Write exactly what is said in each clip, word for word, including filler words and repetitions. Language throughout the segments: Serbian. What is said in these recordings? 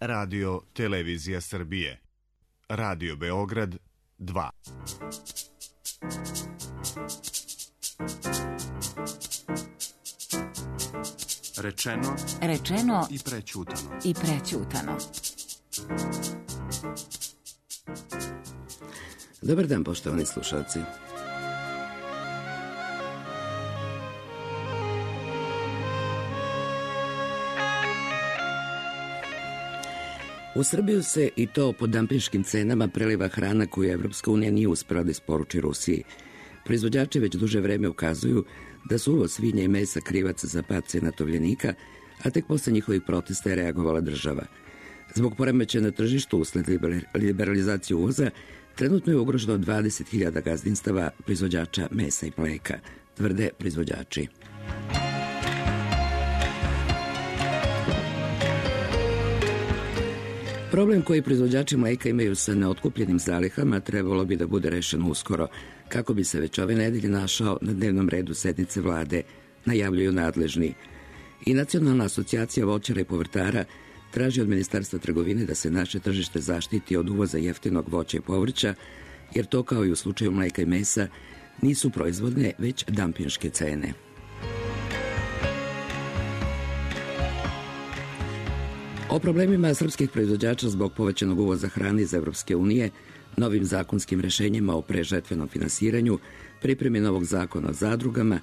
Radio Televizija Srbije. Radio Beograd dva. Rečeno, Rečeno i prećutano. I prećutano. Dobar dan, poštovani slušalci. U Srbiju se, i to po dampinškim cenama, preliva hrana koju Evropska unija nije uspela da isporuči Rusiji. Proizvođači već duže vreme ukazuju da su uvoz svinja i mesa krivac za pad cena tovljenika, a tek posle njihovih protesta je reagovala država. Zbog poremećaja na tržištu usled liberalizacije uvoza, trenutno je ugroženo dvadeset hiljada gazdinstava proizvođača mesa i mleka, tvrde proizvođači. Problem koji proizvođači mleka imaju sa neotkupljenim zalihama trebalo bi da bude rešen uskoro, kako bi se već ove nedelje našao na dnevnom redu sednice vlade, najavljuju nadležni. I Nacionalna asocijacija voćara i povrtara traži od Ministarstva trgovine da se naše tržište zaštiti od uvoza jeftinog voća i povrća, jer to, kao i u slučaju mleka i mesa, nisu proizvodne, već dampinške cene. O problemima srpskih proizvođača zbog povećanog uvoza hrane iz Evropske unije, novim zakonskim rešenjima o prežetvenom finansiranju, pripremi novog zakona o zadrugama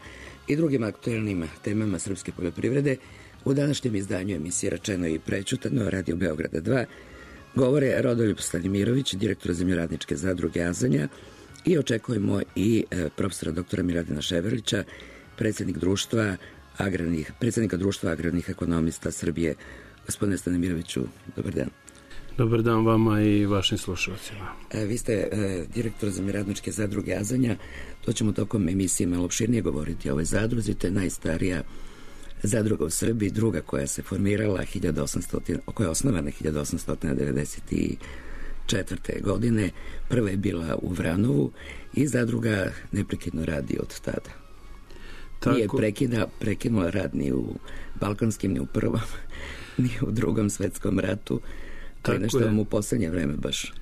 i drugim aktuelnim temama srpske poljoprivrede, u današnjem izdanju emisije Rečeno i prećutano Radio Beograda dva govore Rodoljub Stanimirović, direktor zemljoradničke zadruge Azanja, i očekujemo i profesora doktora Miladina Ševerlića, predsjednik društva agrarnih, predsjednika društva agrarnih ekonomista Srbije. Gospodine Stanimiroviću, dobar dan. Dobar dan vama i vašim slušalcima. E, vi ste e, direktor zemljoradničke zadruge Azanja. To ćemo tokom emisije malo opširnije govoriti o ovoj zadruzi. To je najstarija zadruga u Srbiji, druga koja se formirala hiljadu osamsto, koja je osnovana hiljadu osamsto devedeset četvrte. godine. Prva je bila u Vranovu i zadruga neprekidno radi od tada. Tako... Nije prekida, prekinula rad ni u balkanskim, ni u prvom, ni u drugom svetskom ratu. To je nešto vam u poslednje vreme baš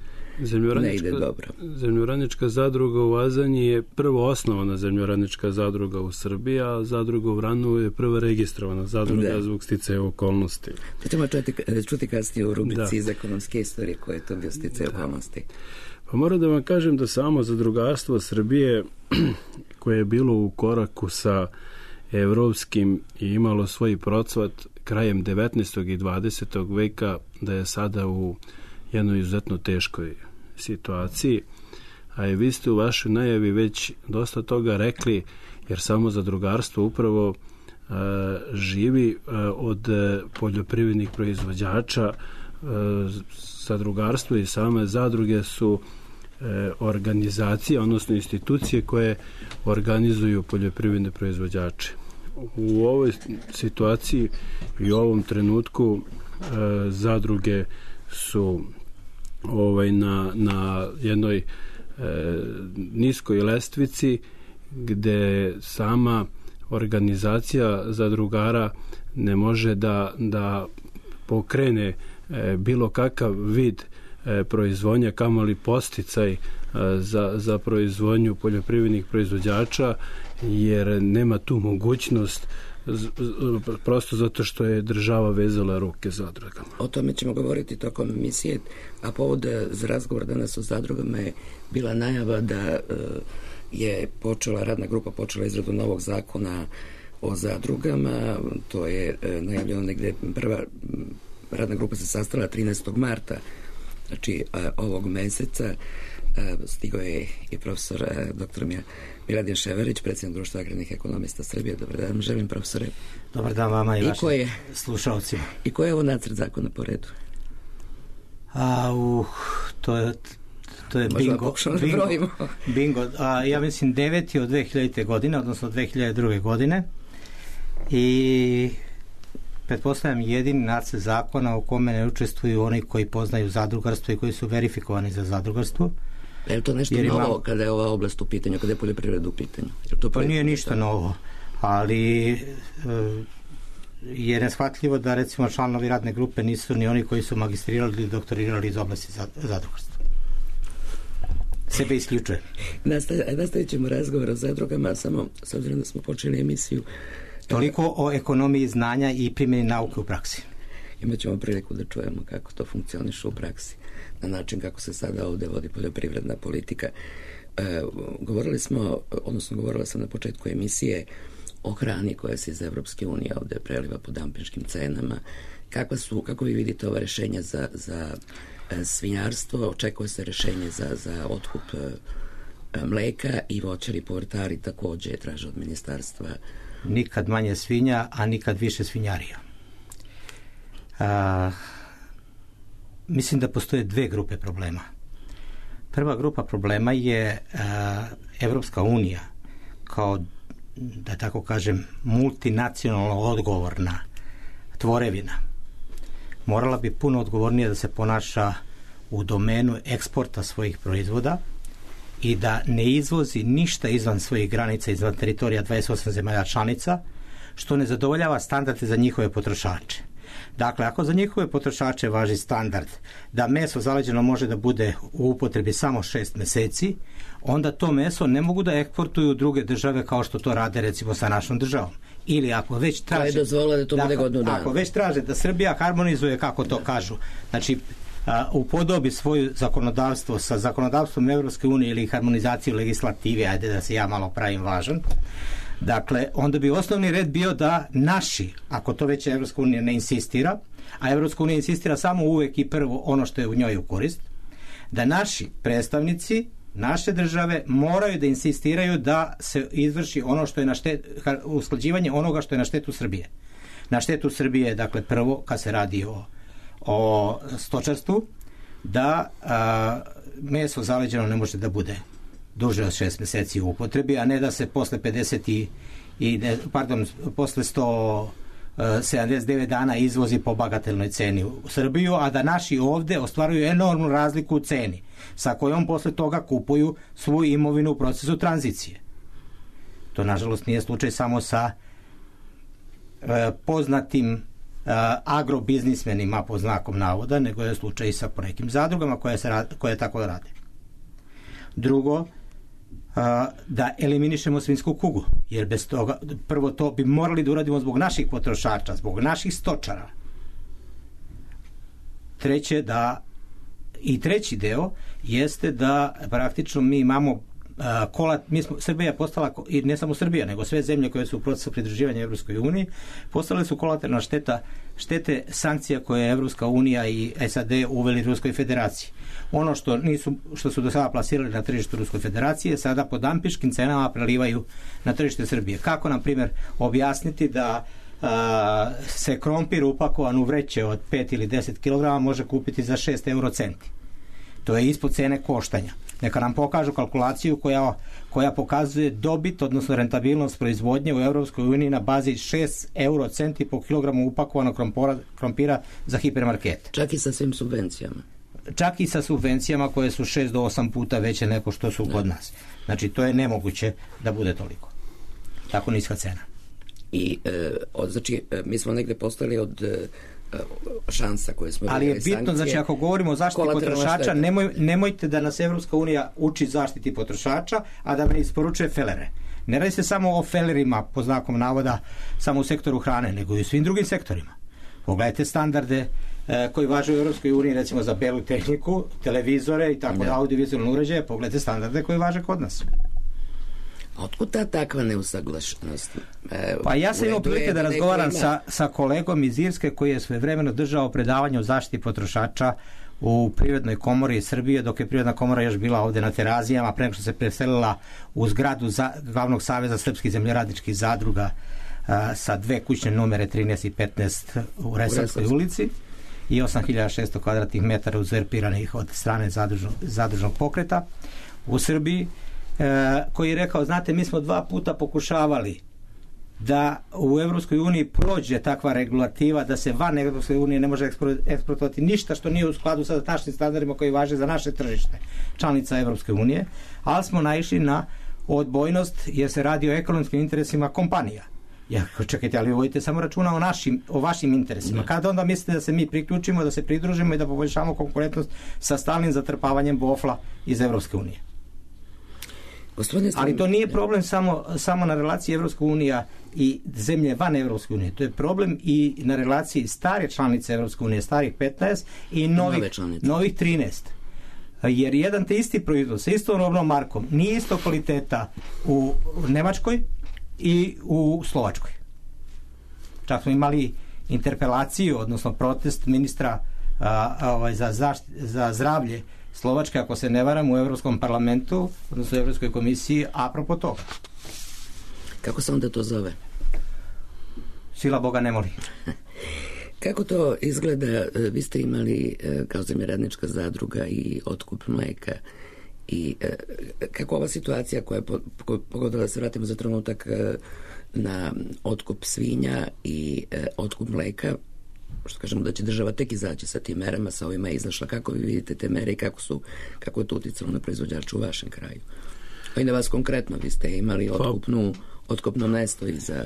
ne ide dobro. Zemljoradnička zadruga u Azanji je prvo osnovana zemljoradnička zadruga u Srbiji, a zadruga u Vranovu je prva registrovana zadruga da. Zbog sticaja okolnosti. To ćemo čuti, čuti kasnije u rubrici da. Iz ekonomske istorije koje je to bio sticaj da. Okolnosti. Pa moram da vam kažem da samo zadrugarstvo Srbije, koje je bilo u koraku sa evropskim i imalo svoj procvat krajem devetnaestog i dvadesetog veka, da je sada u jednoj izuzetno teškoj situaciji. A i vi ste u vašoj najavi već dosta toga rekli, jer samo zadrugarstvo upravo a, živi a, od poljoprivrednih proizvođača. A, zadrugarstvo i same zadruge su e, organizacije, odnosno institucije koje organizuju poljoprivredne proizvođače. U ovoj situaciji i u ovom trenutku e, zadruge su ovaj, na, na jednoj e, niskoj lestvici, gde sama organizacija zadrugara ne može da, da pokrene e, bilo kakav vid e, proizvodnja, kamoli podsticaj e, za, za proizvodnju poljoprivrednih proizvođača, jer nema tu mogućnost, prosto zato što je država vezala ruke zadrugama. O tome ćemo govoriti tokom emisije, a povod za razgovor danas o zadrugama je bila najava da je počela, radna grupa počela izradu novog zakona o zadrugama. To je najavljeno negde, prva radna grupa se sastala trinaestog marta, znači ovog meseca. Stigao je i profesor doktor Miladin Ševerlić, predsjednik društva agrarnih ekonomista Srbije. Dobar dan, želim, profesore. Dobar dan vama i, I vašim je, slušalcima. I koji je ovo nacrt zakona po redu? A, uh, to je to je Možda bingo. Bingo, bingo. A, ja mislim deveti od dve hiljadite. godine, odnosno dve hiljade druge. godine. I pretpostavljam jedini nacrt zakona u kome ne učestvuju oni koji poznaju zadrugarstvo i koji su verifikovani za zadrugarstvo. Je to nešto novo imam... kada je ova oblast u pitanju, kada je poljoprivreda u pitanju? To pa nije ništa novo, ali e, je neshvatljivo da recimo članovi radne grupe nisu ni oni koji su magistrirali ili doktorirali iz oblasti zadrugarstva. Sebe isključuje. Nastavit ćemo razgovor o zadrugama, samo s obzirom da smo počeli emisiju. Toliko o ekonomiji znanja i primjeni nauke u praksi. Imat ćemo priliku da čujemo kako to funkcioniše u praksi, na način kako se sada ovdje vodi poljoprivredna politika. E, govorili smo, odnosno govorila sam na početku emisije o hrani koja se iz Evropske unije ovdje preliva po dampinškim cenama. Kakva su, kako vi vidite ova rješenja za, za e, svinjarstvo? Očekuje se rješenje za, za otkup e, mleka i voćari povrtari također traže od ministarstva. Nikad manje svinja, a nikad više svinjarija. A, mislim da postoje dve grupe problema. Prva grupa problema je a, Evropska unija kao, da tako kažem, multinacionalno odgovorna tvorevina. Morala bi puno odgovornije da se ponaša u domenu eksporta svojih proizvoda i da ne izvozi ništa izvan svojih granica, izvan teritorija dvadeset osam zemalja članica, što ne zadovoljava standarde za njihove potrošače. Dakle, ako za njihove potrošače važi standard da meso zaleđeno može da bude u upotrebi samo šest meseci, onda to meso ne mogu da eksportuju u druge države kao što to rade recimo sa našom državom. Ili ako već traže da to bude godinu dana. Ako već traže da Srbija harmonizuje, kako to kažu, znači a, upodobi svoje zakonodavstvo sa zakonodavstvom Evropske unije ili harmonizaciju legislative, ajde da se ja malo pravim važan, dakle, onda bi osnovni red bio da naši, ako to već Evropska unija ne insistira, a Evropska unija insistira samo uvek i prvo ono što je u njoj u korist, da naši predstavnici naše države moraju da insistiraju da se izvrši ono što je na štetu, usklađivanje onoga što je na štetu Srbije. Na štetu Srbije, dakle, prvo, kad se radi o, o stočarstvu, da a, meso zaleđeno ne može da bude duže od šest meseci u upotrebi, a ne da se posle pedeset i, i pardon, posle sto sedamdeset devet dana izvozi po bagatelnoj ceni u Srbiju, a da naši ovde ostvaruju enormnu razliku u ceni, sa kojom posle toga kupuju svu imovinu u procesu tranzicije. To, nažalost, nije slučaj samo sa e, poznatim e, agrobiznismenima, po znakom navoda, nego je slučaj i sa nekim zadrugama koje, se, koje tako rade. Drugo, da eliminišemo svinjsku kugu, jer bez toga, prvo to bi morali da uradimo zbog naših potrošača, zbog naših stočara. Treće, da i treći deo jeste da praktično mi imamo a, kolat, mi smo, Srbija je postala, i ne samo Srbija, nego sve zemlje koje su u procesu pridruživanja Evropskoj uniji, postale su kolateralna šteta, štete sankcija koje je Evropska unija i S A D uveli Ruskoj federaciji. Ono što nisu, što su do sada plasirali na tržištu Ruskoj federacije, sada po dampiškim cenama prelivaju na tržište Srbije. Kako, na primjer, objasniti da a, se krompir upakovan u vreće od pet ili deset kilograma može kupiti za šest eurocenti? To je ispod cene koštanja. Neka nam pokažu kalkulaciju koja, koja pokazuje dobit, odnosno rentabilnost proizvodnje u Evropskoj uniji na bazi šest eurocenti po kilogramu upakovanog krompora, krompira za hipermarkete. Čak i sa svim subvencijama. Čak i sa subvencijama koje su šest do osam puta veće nego što su kod nas. Znači, to je nemoguće da bude toliko. Tako niska cena. I, e, od, znači, mi smo negde postali od e, šansa koje smo... Ali je bitno, sankcije, znači, ako govorimo o zaštiti potrošača, nemoj, nemojte da nas Evropska unija uči zaštiti potrošača, a da me isporučuje felere. Ne radi se samo o felerima, po znakom navoda, samo u sektoru hrane, nego i u svim drugim sektorima. Pogledajte standarde koji važe u Europskoj uniji, recimo za belu tehniku, televizore i tako da, audiovizualne uređaje, pogledajte standarde koji važe kod nas. A otkud ta takva neusaglašenost? E, pa ja sam imao prilike da razgovaram sa, sa kolegom iz Irske koji je svojevremeno držao predavanje o zaštiti potrošača u Privrednoj komori Srbije, dok je Privredna komora još bila ovde na Terazijama, pre nego što se preselila u zgradu za, glavnog saveza srpskih zemljoradničkih zadruga a, sa dve kućne numere trinaest i petnaest u Resavskoj ulici i osam hiljada šesto kvadratnih metara uzurpiranih od strane zadružnog, zadružnog pokreta u Srbiji, e, koji je rekao, znate, mi smo dva puta pokušavali da u Evropskoj uniji prođe takva regulativa da se van Evropske unije ne može eksportovati ništa što nije u skladu sa našim standardima koji važe za naše tržište, članica Evropske unije, ali smo naišli na odbojnost jer se radi o ekonomskim interesima kompanija Ja, čekajte, ali vodite samo računa o, našim, o vašim interesima. Kada onda mislite da se mi priključimo, da se pridružimo i da poboljšamo konkurentnost sa stalnim zatrpavanjem bofla iz Evropske unije? Ali to nije problem samo, samo na relaciji Evropska unija i zemlje van Evropske unije. To je problem i na relaciji stare članice Evropske unije, starih petnaest i novih, novih trinaest. Jer jedan te isti proizvod sa istom robnom markom nije isto kvaliteta u Nemačkoj i u Slovačkoj. Čak smo imali interpelaciju, odnosno protest ministra a, a, ovaj, za, zašt, za zdravlje Slovačke, ako se ne varam, u Evropskom parlamentu, odnosno u Evropskoj komisiji, apropo toga. Kako se onda to zove? Sila Boga ne moli. Kako to izgleda? Vi ste imali kao zemljoradnička zadruga i otkup mleka i kako ova situacija koja je pogodila, da se vratimo za trenutak na otkup svinja i otkup mleka, što kažemo da će država tek izaći sa tim merama, sa ovima je izašla. Kako vi vidite te mere i kako su, kako je to uticalo na proizvođača u vašem kraju? A i na vas konkretno, vi ste imali otkupnu, otkupno mesto i za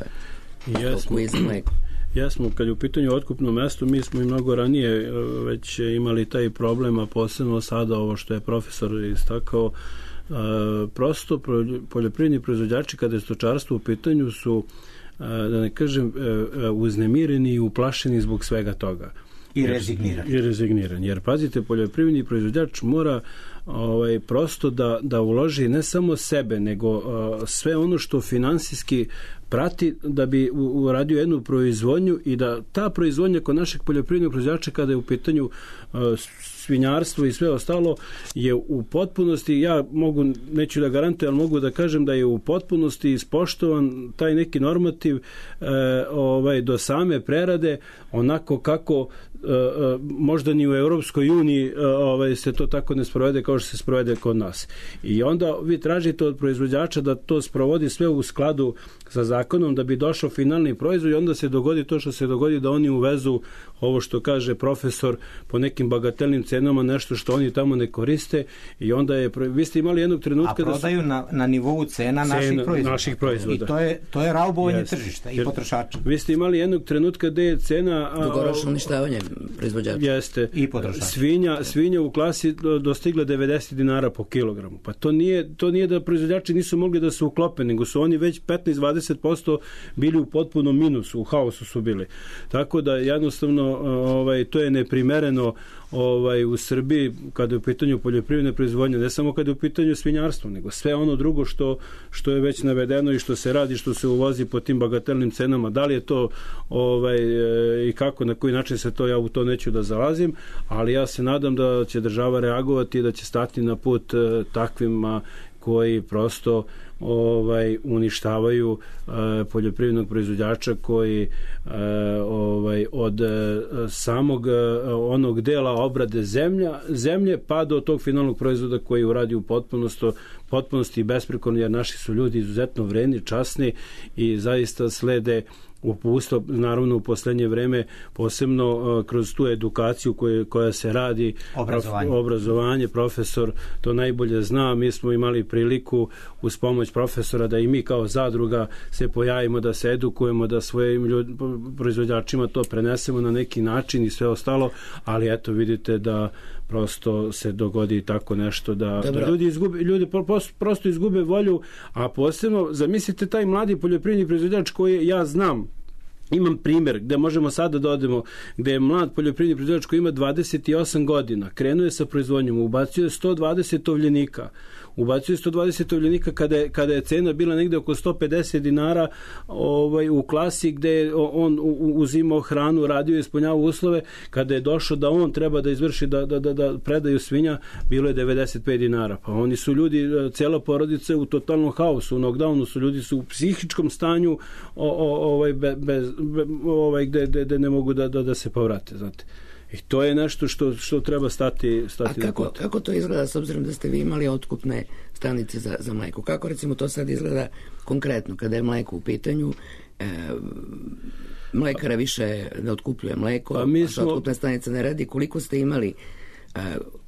stoku i za mleko. Jesmo, kad je u pitanju otkupno mesto, mi smo i mnogo ranije već imali taj problem, a posebno sada ovo što je profesor istakao, prosto poljoprivredni proizvođači kada je stočarstvo u pitanju su, da ne kažem, uznemireni i uplašeni zbog svega toga. I rezignirani. I rezignirani. Jer, pazite, poljoprivredni proizvođač mora ovaj, prosto da, da uloži ne samo sebe, nego uh, sve ono što finansijski prati da bi uradio jednu proizvodnju i da ta proizvodnja kod našeg poljoprivrednog proizvođača kada je u pitanju uh, svinjarstvo i sve ostalo je u potpunosti, ja mogu, neću da garantujem, ali mogu da kažem da je u potpunosti ispoštovan taj neki normativ uh, ovaj, do same prerade onako kako Uh, uh, možda ni u Europskoj uniji uh, ovaj, se to tako ne sprovede kao što se sprovede kod nas. I onda vi tražite od proizvođača da to sprovodi sve u skladu sa zakonom da bi došao finalni proizvod i onda se dogodi to što se dogodi da oni uvezu ovo što kaže profesor po nekim bagatelnim cenama, nešto što oni tamo ne koriste i onda je, vi ste imali jednog trenutka a prodaju da su, na, na nivou cena, cena naših, proizvoda. naših proizvoda. I to je, to je raubovanje yes. tržišta i potrošača. Vi ste imali jednog trenutka gde je cena dugoročno uništavanje proizvođača. Jeste. I potrošača. Svinja, svinja u klasi dostigla devedeset dinara po kilogramu. Pa to nije, to nije da proizvođači nisu mogli da se uklope, nego su oni već petnaest do dvadeset posto bili u potpunom minusu, u haosu su bili. Tako da jednostavno ovaj, to je neprimereno ovaj, u Srbiji kada je u pitanju poljoprivredne proizvodnje, ne samo kada je u pitanju svinjarstvo, nego sve ono drugo što, što je već navedeno i što se radi, što se uvozi po tim bagatelnim cenama. Da li je to ovaj, i kako, na koji način se to, ja u to neću da zalazim, ali ja se nadam da će država reagovati i da će stati na put takvima koji prosto ovaj uništavaju uh, poljoprivrednog proizvođača koji uh, ovaj od uh, samog uh, onog dela obrade zemlja, zemlje pa do tog finalnog proizvoda koji uradi u potpunosti potpunosti i besprekorno, jer naši su ljudi izuzetno vredni, časni i zaista slede upustvo, naravno u poslednje vreme posebno uh, kroz tu edukaciju koje, koja se radi, obrazovanje. Prof, obrazovanje, profesor to najbolje zna, mi smo imali priliku uz pomoć profesora da i mi kao zadruga se pojavimo, da se edukujemo, da svojim ljud, proizvođačima to prenesemo na neki način i sve ostalo, ali eto vidite da prosto se dogodi tako nešto da, da ljudi, izgube, ljudi prosto izgube volju, a posebno zamislite taj mladi poljoprivredni proizvođač koji ja znam, imam primjer gde možemo sada da odemo, gde je mlad poljoprivredni proizvođač koji ima dvadeset osam godina, krenuo je sa proizvodnjom, ubacio je sto dvadeset tovljenika, ubacio je sto dvadeset tovljenika kada je, kada je cena bila negde oko sto pedeset dinara ovaj, u klasi gde je on uzimao hranu, radio i ispunjavao uslove, kada je došao da on treba da izvrši da, da, da, da predaju svinja, bilo je devedeset pet dinara. Pa oni su ljudi, cela porodica u totalnom haosu, u knockdownu su ljudi su u psihičkom stanju o, o, ovaj, be, bez, be, ovaj, gde, gde, gde ne mogu da, da, da se povrate, znate. I to je nešto što, što treba stati, stati A kako, kako to izgleda s obzirom da ste vi imali otkupne stanice za, za mleko? Kako recimo to sad izgleda konkretno kada je mleko u pitanju? E, mlekara više ne otkupljuje mleko, a mi smo... otkupna stanica ne radi. Koliko ste imali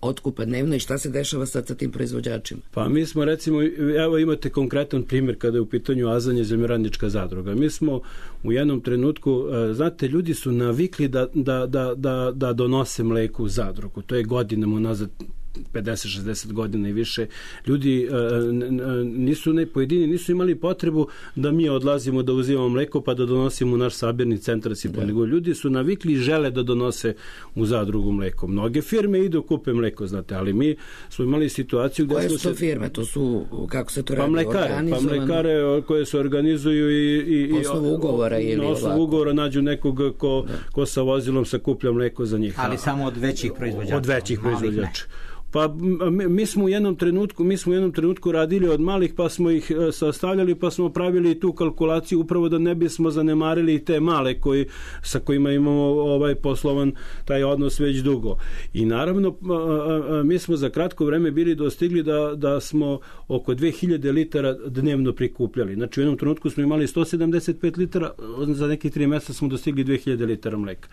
otkupa dnevno i šta se dešava sad sa tim proizvođačima? Pa mi smo recimo, evo imate konkretan primjer kada je u pitanju Azanje zemljoradnička zadruga. Mi smo u jednom trenutku, znate, ljudi su navikli da, da, da, da, da donose mleko u zadrugu. To je godinama unazad pedeset šezdeset godina i više. Ljudi nisu, ne, pojedini nisu imali potrebu da mi odlazimo da uzimamo mleko pa da donosimo u naš sabirni centar. Da. Nego ljudi su navikli i žele da donose u zadrugu mleko. Mnoge firme idu kupe mleko, znate, ali mi smo imali situaciju gdje koje smo su to se... firme? To su, kako se to pa radi? Mlekare, pa mlekare koje se organizuju i, i, na osnovu ugovora ili na osnovu ugovora nađu nekog ko, ko sa vozilom sakuplja mleko za njih. Ali samo od većih proizvođača. Od većih proizvođača. Pa mi smo u jednom trenutku, mi smo u jednom trenutku radili od malih, pa smo ih sastavljali, pa smo pravili tu kalkulaciju upravo da ne bismo zanemarili te male koji, sa kojima imamo ovaj poslovan taj odnos već dugo. I naravno mi smo za kratko vreme bili dostigli da, da smo oko dve hiljade litara dnevno prikupljali. Znači u jednom trenutku smo imali sto sedamdeset pet litara, za nekih tri mjeseca smo dostigli dve hiljade litara mleka.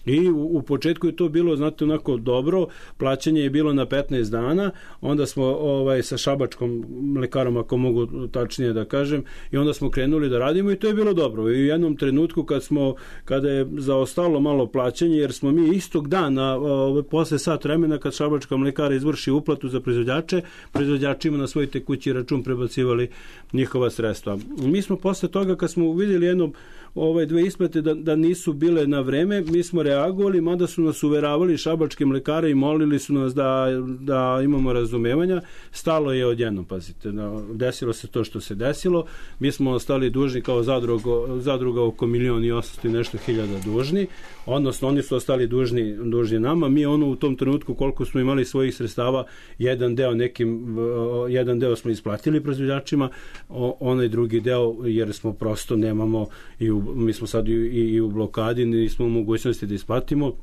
I u, u početku je to bilo, znate, onako dobro, plaćanje je bilo na petnaest dana, onda smo ovaj sa šabačkom mlekarom, ako mogu tačnije da kažem, i onda smo krenuli da radimo i to je bilo dobro. I u jednom trenutku kad smo, kada je zaostalo malo plaćanje, jer smo mi istog dana, ovaj, posle sat vremena kad šabačka mlekara izvrši uplatu za proizvođače, proizvođačima na svoj tekući račun prebacivali njihova sredstva. Mi smo posle toga, kad smo vidjeli jednom ove dve isplate da, da nisu bile na vreme, mi smo reagovali, mada su nas uveravali šabačke mlekare i molili su nas da, da imamo razumevanja. Stalo je odjednom, pazite, desilo se to što se desilo. Mi smo ostali dužni kao zadruga, zadruga oko milion i osamsto i nešto hiljada dužni, odnosno oni su ostali dužni, dužni nama. Mi ono u tom trenutku koliko smo imali svojih sredstava, jedan deo nekim, jedan deo smo isplatili proizvođačima, onaj drugi deo jer smo prosto nemamo i u mi smo sad i, i u blokadi, nismo u mogućnosti da isplatimo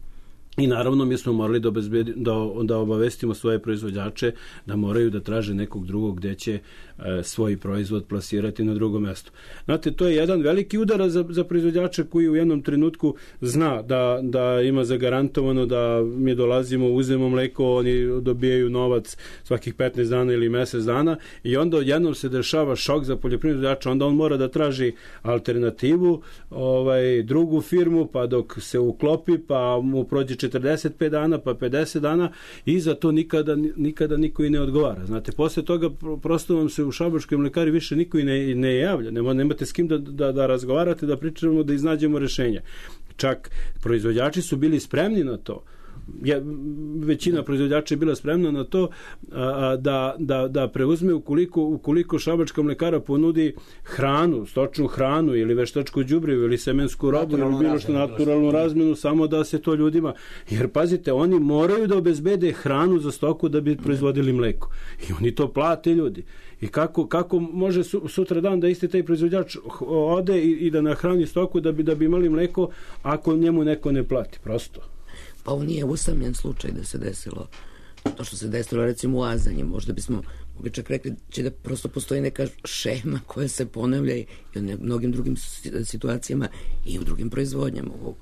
i naravno mi smo morali da, obezbedi, da, da obavestimo svoje proizvođače da moraju da traže nekog drugog gdje će e, svoj proizvod plasirati na drugo mjesto. Znate, to je jedan veliki udar za, za proizvođača koji u jednom trenutku zna da, da ima zagarantovano da mi dolazimo, uzmemo mleko, oni dobijaju novac svakih petnaest dana ili mjesec dana i onda odjednom se dešava šok za poljoprivrednjača, onda on mora da traži alternativu, ovaj, drugu firmu, pa dok se uklopi, pa mu prođe četrdeset pet dana, pa pedeset dana i za to nikada, nikada niko i ne odgovara. Znate, posle toga prosto vam se u šabačkoj mlekari više niko i ne, ne javlja. Nema, nemate s kim da, da, da razgovarate, da pričamo, da iznađemo rešenja. Čak proizvođači su bili spremni na to. Je, većina proizvođača je bila spremna na to a, da, da, da preuzme ukoliko, ukoliko šabačka mlekara ponudi hranu, stočnu hranu ili veštačko đubrivo ili semensku robu ili bilo što naturalnu razmenu, samo da se to ljudima, jer pazite, oni moraju da obezbede hranu za stoku da bi proizvodili mleko i oni to plate ljudi. I kako, kako može sutra dan da isti taj proizvođač ode i, i da nahrani stoku da bi, da bi imali mleko ako njemu neko ne plati, prosto. Pa ovo nije usamljen slučaj da se desilo to što se desilo recimo u Azanji. Možda bismo mogli čak rekli će da prosto postoji neka šema koja se ponavlja i u mnogim drugim situacijama i u drugim proizvodnjama u,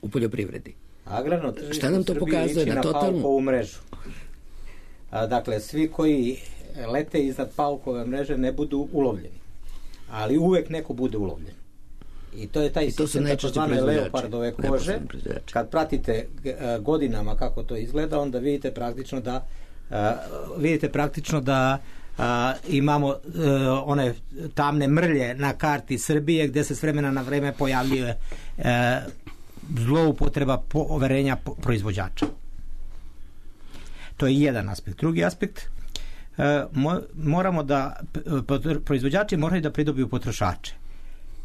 u poljoprivredi. Agrarno tržište šta nam to pokazuje na totalnu Paukovu mrežu? A, dakle, svi koji lete iznad Paukove mreže ne budu ulovljeni. Ali uvek neko bude ulovljen. I to je taj sistem takozvane leopardove kože. Kad pratite godinama kako to izgleda, onda vidite praktično da uh, vidite praktično da uh, imamo uh, one tamne mrlje na karti Srbije gdje se s vremena na vreme pojavljuje uh, zloupotreba poverenja proizvođača. To je jedan aspekt. Drugi aspekt, uh, mo- moramo da proizvođači moraju da pridobiju potrošače.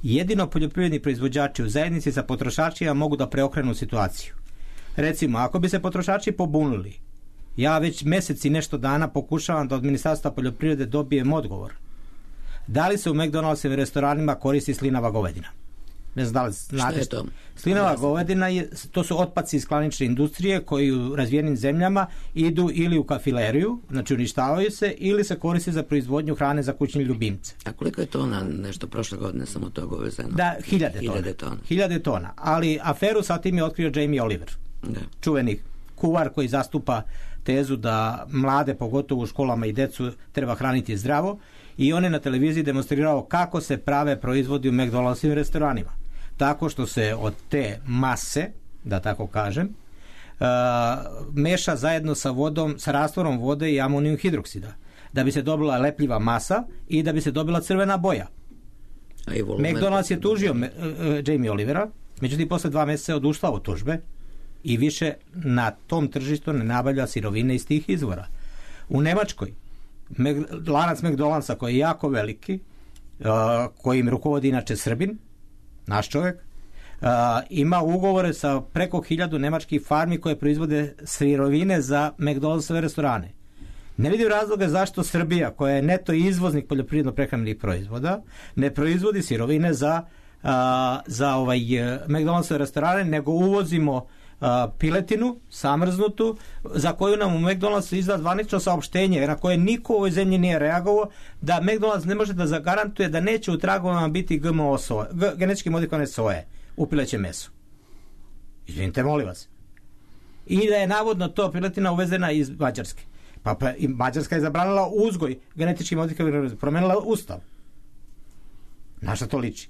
Jedino poljoprivredni proizvođači u zajednici sa potrošačima mogu da preokrenu situaciju. Recimo, ako bi se potrošači pobunili, ja već mjesec i nešto dana pokušavam da od Ministarstva poljoprivrede dobijem odgovor. Da li se u McDonald'sovim restoranima koristi slinava govedina? Ne znam da li znate što. Slinava govedina je, to su otpaci iz klanične industrije koji u razvijenim zemljama idu ili u kafileriju, znači uništavaju se, ili se koriste za proizvodnju hrane za kućne ljubimce. A koliko je tona nešto prošle godine samo toga uvezeno? Da, hiljade, hiljade tona. tona. Hiljade tona. Ali aferu sa tim je otkrio Jamie Oliver. Da. Čuveni kuvar koji zastupa tezu da mlade, pogotovo u školama i decu, treba hraniti zdravo, i on je na televiziji demonstrirao kako se prave proizvodi u McDonald'skim restoranima. Tako što se od te mase, da tako kažem, uh, meša zajedno sa vodom, sa rastvorom vode i amonijum hidroksida, da bi se dobila lepljiva masa i da bi se dobila crvena boja. McDonald's je tužio uh, Jamie Olivera, međutim posle dva mjeseca je oduštao od tužbe i više na tom tržištu ne nabavlja sirovine iz tih izvora. U Nemačkoj lanac McDonald'sa koji je jako veliki, uh, kojim rukovodi inače Srbin, naš čovjek, uh, ima ugovore sa preko hiljadu nemačkih farmi koje proizvode sirovine za McDonald'sove restorane. Ne vidim razloga zašto Srbija, koja je neto izvoznik poljoprivredno-prehrambenih proizvoda, ne proizvodi sirovine za, uh, za ovaj, uh, McDonald'sove restorane, nego uvozimo Uh, piletinu, samrznutu, za koju nam u McDonald'su izda zvanično saopštenje na koje niko u ovoj zemlji nije reagovao, da McDonald's ne može da zagarantuje da neće u tragovima biti G M O soje, genetički modifikovane soje u pilećem mesu. Izvinite, molim vas. I da je navodno to piletina uvezena iz Mađarske. Pa, pa i Mađarska je zabranila uzgoj genetički modifikovane, promenila ustav. Na šta to liči?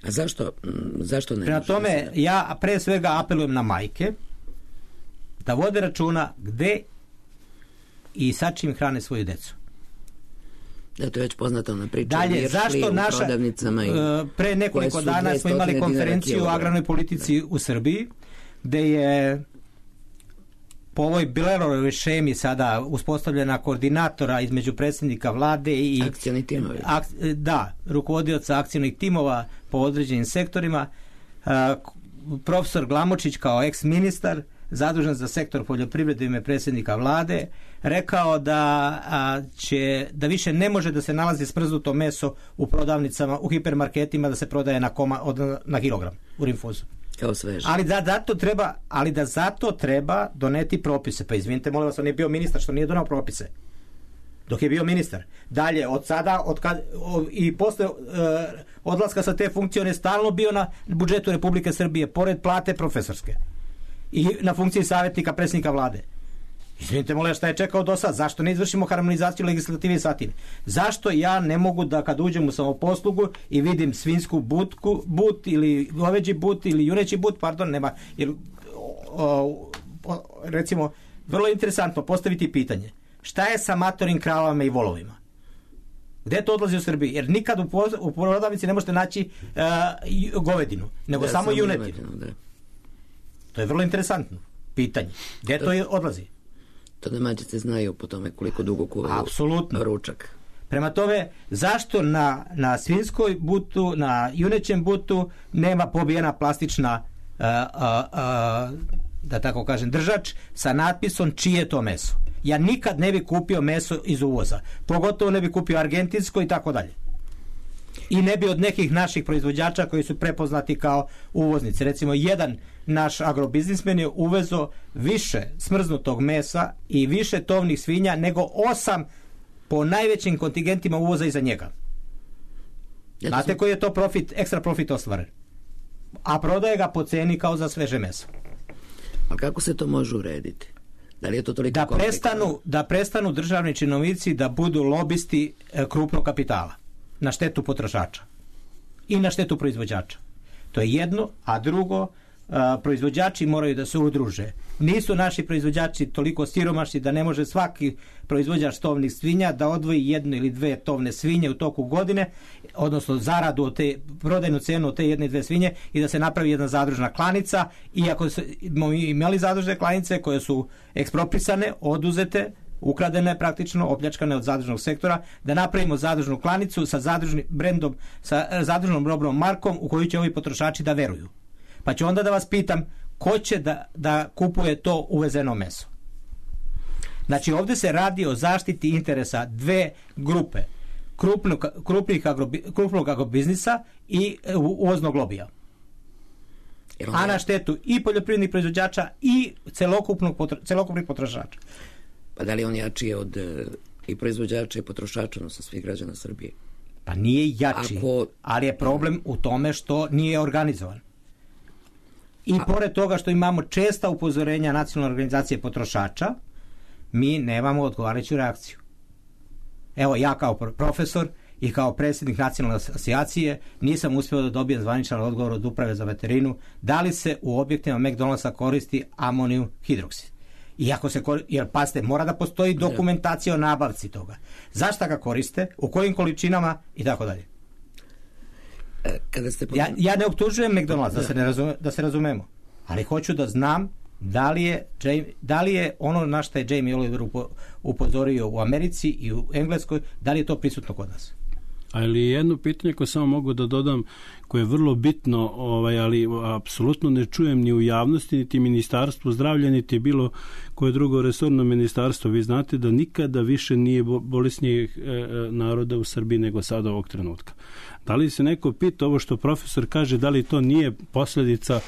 A zašto, zašto ne? Prema tome, ja pre svega apelujem na majke da vode računa gde i sa čim hrane svoju decu. Da, to je već poznata ona priča. Dalje, zašto naša, i pre nekoliko dana smo imali konferenciju o agrarnoj politici u Srbiji, gde je po ovoj Bilerovoj šemi sada uspostavljena koordinatora između predsjednika vlade i akcioni timovi. Ak, da, rukovodioca akcionih timova po određenim sektorima. A, profesor Glamočić kao eks-ministar zadužen za sektor poljoprivrede u ime predsjednika vlade rekao da a, će da više ne može da se nalazi smrznuto meso u prodavnicama, u hipermarketima, da se prodaje na koma, od, na kilogram u rinfuzu. Kao sveže. Ali da zato treba, ali da zato treba doneti propise. Pa izvinite, molim vas, on je bio ministar, što nije donao propise dok je bio ministar. Dalje, od sada od kad, o, i posle e, odlaska sa te funkcije on je stalno bio na budžetu Republike Srbije, pored plate profesorske i na funkciji savjetnika predsjednika vlade. Izvinite, molim, šta je čekao do sad? Zašto ne izvršimo harmonizaciju legislative sa tim? Zašto ja ne mogu da kad uđem u samoposlugu i vidim svinsku butku, but ili goveđi but ili juneći but, pardon, nema, jer, o, o, recimo, vrlo interesantno postaviti pitanje. Šta je sa matorim kravama i volovima? Gde to odlazi u Srbiji? Jer nikad u, poz, u prodavnici ne možete naći uh, govedinu, nego da, samo junetinu. Da. To je vrlo interesantno pitanje. Gde to, to odlazi? To domaćice znaju po tome koliko dugo kuvaju apsolutno ručak. Prema tome, zašto na, na svinskoj butu, na junećem butu nema pobijena plastična uh, uh, uh, da tako kažem držač sa natpisom čije je to meso? Ja nikad ne bi kupio meso iz uvoza, pogotovo ne bi kupio argentinsko i tako dalje. I ne bi od nekih naših proizvođača koji su prepoznati kao uvoznici. Recimo, jedan naš agrobiznismen je uvezo više smrznutog mesa i više tovnih svinja nego osam po najvećim kontingentima uvoza iza njega. Znate koji je to profit, ekstra profit ostvaren? A prodaje ga po ceni kao za sveže meso. A kako se to može urediti? Da li je to toliko da prestanu, da prestanu državni činovnici da budu lobisti e, krupnog kapitala na štetu potrošača i na štetu proizvođača. To je jedno, a drugo, a, proizvođači moraju da se udruže. Nisu naši proizvođači toliko siromašni da ne može svaki proizvođač tovnih svinja da odvoji jednu ili dve tovne svinje u toku godine, odnosno zaradu od te, prodajnu cenu od te jedne i dve svinje i da se napravi jedna zadružna klanica. Iako smo imali zadružne klanice koje su eksproprisane, oduzete, ukradene praktično, opljačkane od zadružnog sektora, da napravimo zadružnu klanicu sa zadružnim brendom, sa zadružnom robnom markom u koju će ovi potrošači da veruju. Pa ću onda da vas pitam ko će da, da kupuje to uvezeno meso. Znači ovdje se radi o zaštiti interesa dve grupe, krupnog, krupnih agrobi, krupnog agrobiznisa i uvoznog lobija. A na štetu i poljoprivrednih proizvođača i celokupnog, celokupnih potrošača. Pa da li on jači od e, i proizvođača i potrošača, odnosno svih građana Srbije? Pa nije jači, Ako... ali je problem u tome što nije organizovan. I pored toga što imamo česta upozorenja Nacionalne organizacije potrošača, mi nemamo odgovarajuću reakciju. Evo, ja kao profesor i kao predsjednik Nacionalne asocijacije nisam uspio da dobijem zvaničan odgovor od Uprave za veterinu da li se u objektima McDonald'sa koristi amonijum hidroksid. Iako se koristi, jer pazite, mora da postoji dokumentacija o nabavci toga. Zašto ga koriste, u kojim količinama i tako dalje. Kada ste... ja, ja ne optužujem McDonald's, da se, ne razume, da se razumemo, ali hoću da znam da li je, da li je ono na što je Jamie Oliver upozorio u Americi i u Engleskoj, da li je to prisutno kod nas. Ali jedno pitanje koje samo mogu da dodam, koje je vrlo bitno, ovaj, ali apsolutno ne čujem ni u javnosti, niti ministarstvu zdravlja, niti bilo koje drugo resorno ministarstvo. Vi znate da nikada više nije bolesnijih naroda u Srbiji nego sada ovog trenutka. Da li se neko pita ovo što profesor kaže, da li to nije posljedica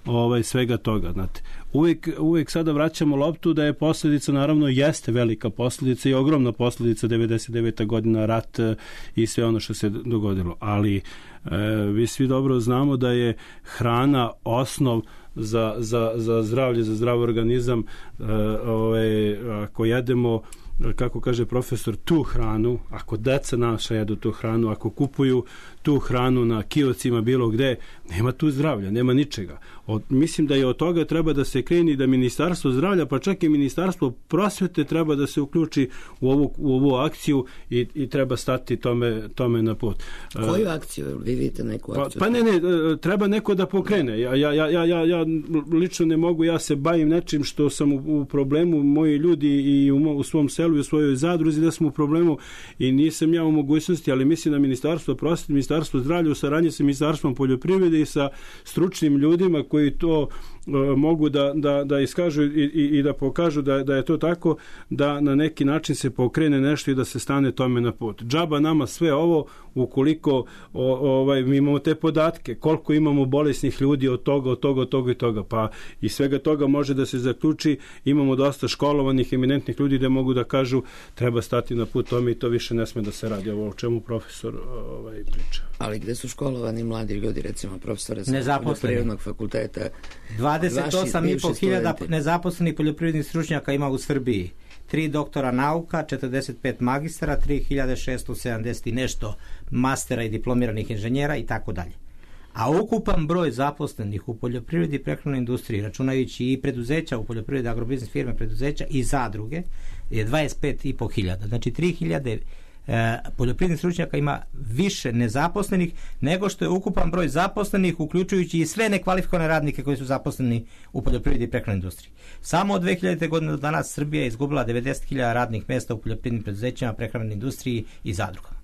ovaj, svega toga? Znate, uvijek, uvijek sada vraćamo loptu da je posljedica, naravno jeste velika posljedica i ogromna posljedica devedeset deveta godina, rat i sve ono što se dogodilo. Ali e, vi svi dobro znamo da je hrana osnov za, za, za zdravlje, za zdrav organizam. E, ovaj, ako jedemo, kako kaže profesor, tu hranu, ako deca naša jedu tu hranu, ako kupuju tu hranu na kioscima bilo gde, nema tu zdravlja, nema ničega. Od, mislim da je od toga treba da se kreni, da Ministarstvo zdravlja, pa čak i Ministarstvo prosvete treba da se uključi u ovu, u ovu akciju i, i treba stati tome, tome na put. Koju akciju? Vi vidite neku akciju? Pa, pa ne, ne, treba neko da pokrene. Ja, ja, ja, ja, ja lično ne mogu, ja se bavim nečim što sam u, u problemu, moji ljudi i u, u svom selu i u svojoj zadruzi da smo u problemu i nisam ja u mogućnosti, ali mislim da Ministarstvo prosvete, Ministarstvo zdravlja u saradnji sa Ministarstvom poljoprivrede i sa stručnim ljudima koji to uh, mogu da, da, da iskažu i, i, i da pokažu da, da je to tako, da na neki način se pokrene nešto i da se stane tome na put. Džaba nama sve ovo ukoliko o, ovaj, mi imamo te podatke, koliko imamo bolesnih ljudi od toga, od toga, od toga i toga, pa i svega toga može da se zaključi, imamo dosta školovanih, eminentnih ljudi da mogu da kažu treba stati na put tome i to više ne sme da se radi. Ovo o čemu profesor ovaj, priča. Ali gde su školovani mladi ljudi, recimo profesore sa poljoprivrednog fakulteta? dvadeset osam i po hiljada nezaposlenih poljoprivrednih stručnjaka ima u Srbiji. Tri doktora nauka, četrdeset pet magistara, tri hiljade šesto sedamdeset i nešto mastera i diplomiranih inženjera i tako dalje. A ukupan broj zaposlenih u poljoprivredi i prehrambenoj industriji, računajući i preduzeća u poljoprivredi, agrobiznis firme, preduzeća i zadruge, je dvadeset pet i po hiljada. Znači tri hiljade e, poljoprivrednih stručnjaka ima više nezaposlenih nego što je ukupan broj zaposlenih, uključujući i sve nekvalifikovane radnike koji su zaposleni u poljoprivredi i prehrambenoj industriji. Samo od dve hiljadite. godine do danas Srbija je izgubila devedeset hiljada radnih mjesta u poljoprivrednim preduzećima, prehrambenoj industriji i zadrugama.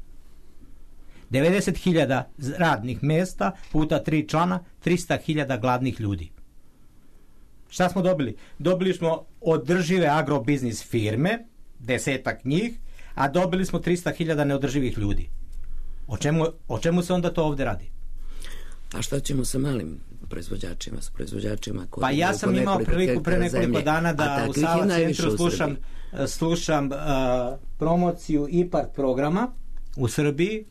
devedeset hiljada radnih mjesta puta tri člana, trista hiljada gladnih ljudi. Šta smo dobili? Dobili smo održive agrobiznis firme, desetak njih, a dobili smo trista hiljada neodrživih ljudi. O čemu, o čemu se onda to ovdje radi? A šta ćemo sa malim proizvođačima, s proizvođačima koji... Pa ja sam imao priliku pre nekoliko dana da u Sava centru slušam, slušam uh, promociju IPARD programa u Srbiji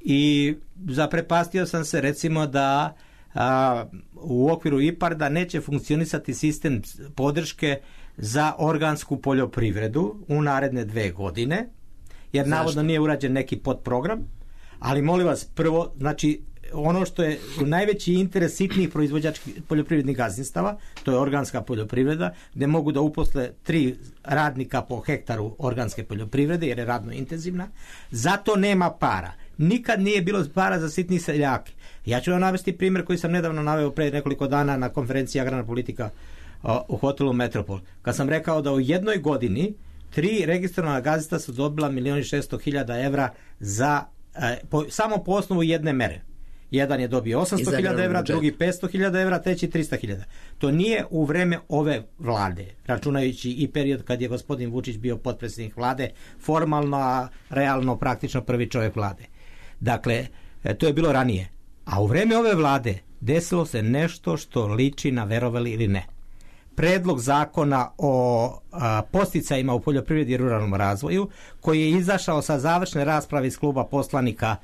i zaprepastio sam se recimo da a, u okviru IPARD-a neće funkcionisati sistem podrške za organsku poljoprivredu u naredne dve godine, jer Zašto? navodno nije urađen neki podprogram, ali molim vas, prvo, znači ono što je najveći interes sitnih proizvođačkih poljoprivrednih gazdinstava, to je organska poljoprivreda, gdje mogu da uposle tri radnika po hektaru organske poljoprivrede, jer je radno intenzivna, zato nema para. Nikad nije bilo para za sitni seljake. Ja ću vam navesti primjer koji sam nedavno naveo pre nekoliko dana na konferenciji Agrarna politika u hotelu Metropol. Kad sam rekao da u jednoj godini tri registrovana gazdinstva su dobila milion i šesto hiljada evra za, eh, po, samo po osnovu jedne mere. Jedan je dobio osamsto hiljada evra, drugi petsto hiljada evra, treći trista hiljada. To nije u vreme ove vlade, računajući i period kad je gospodin Vučić bio potpredsjednik vlade, formalno, a realno, praktično prvi čovjek vlade. Dakle, to je bilo ranije. A u vreme ove vlade desilo se nešto što liči na, verovali ili ne, predlog zakona o a, posticajima u poljoprivredi i ruralnom razvoju, koji je izašao sa završne rasprave iz kluba poslanika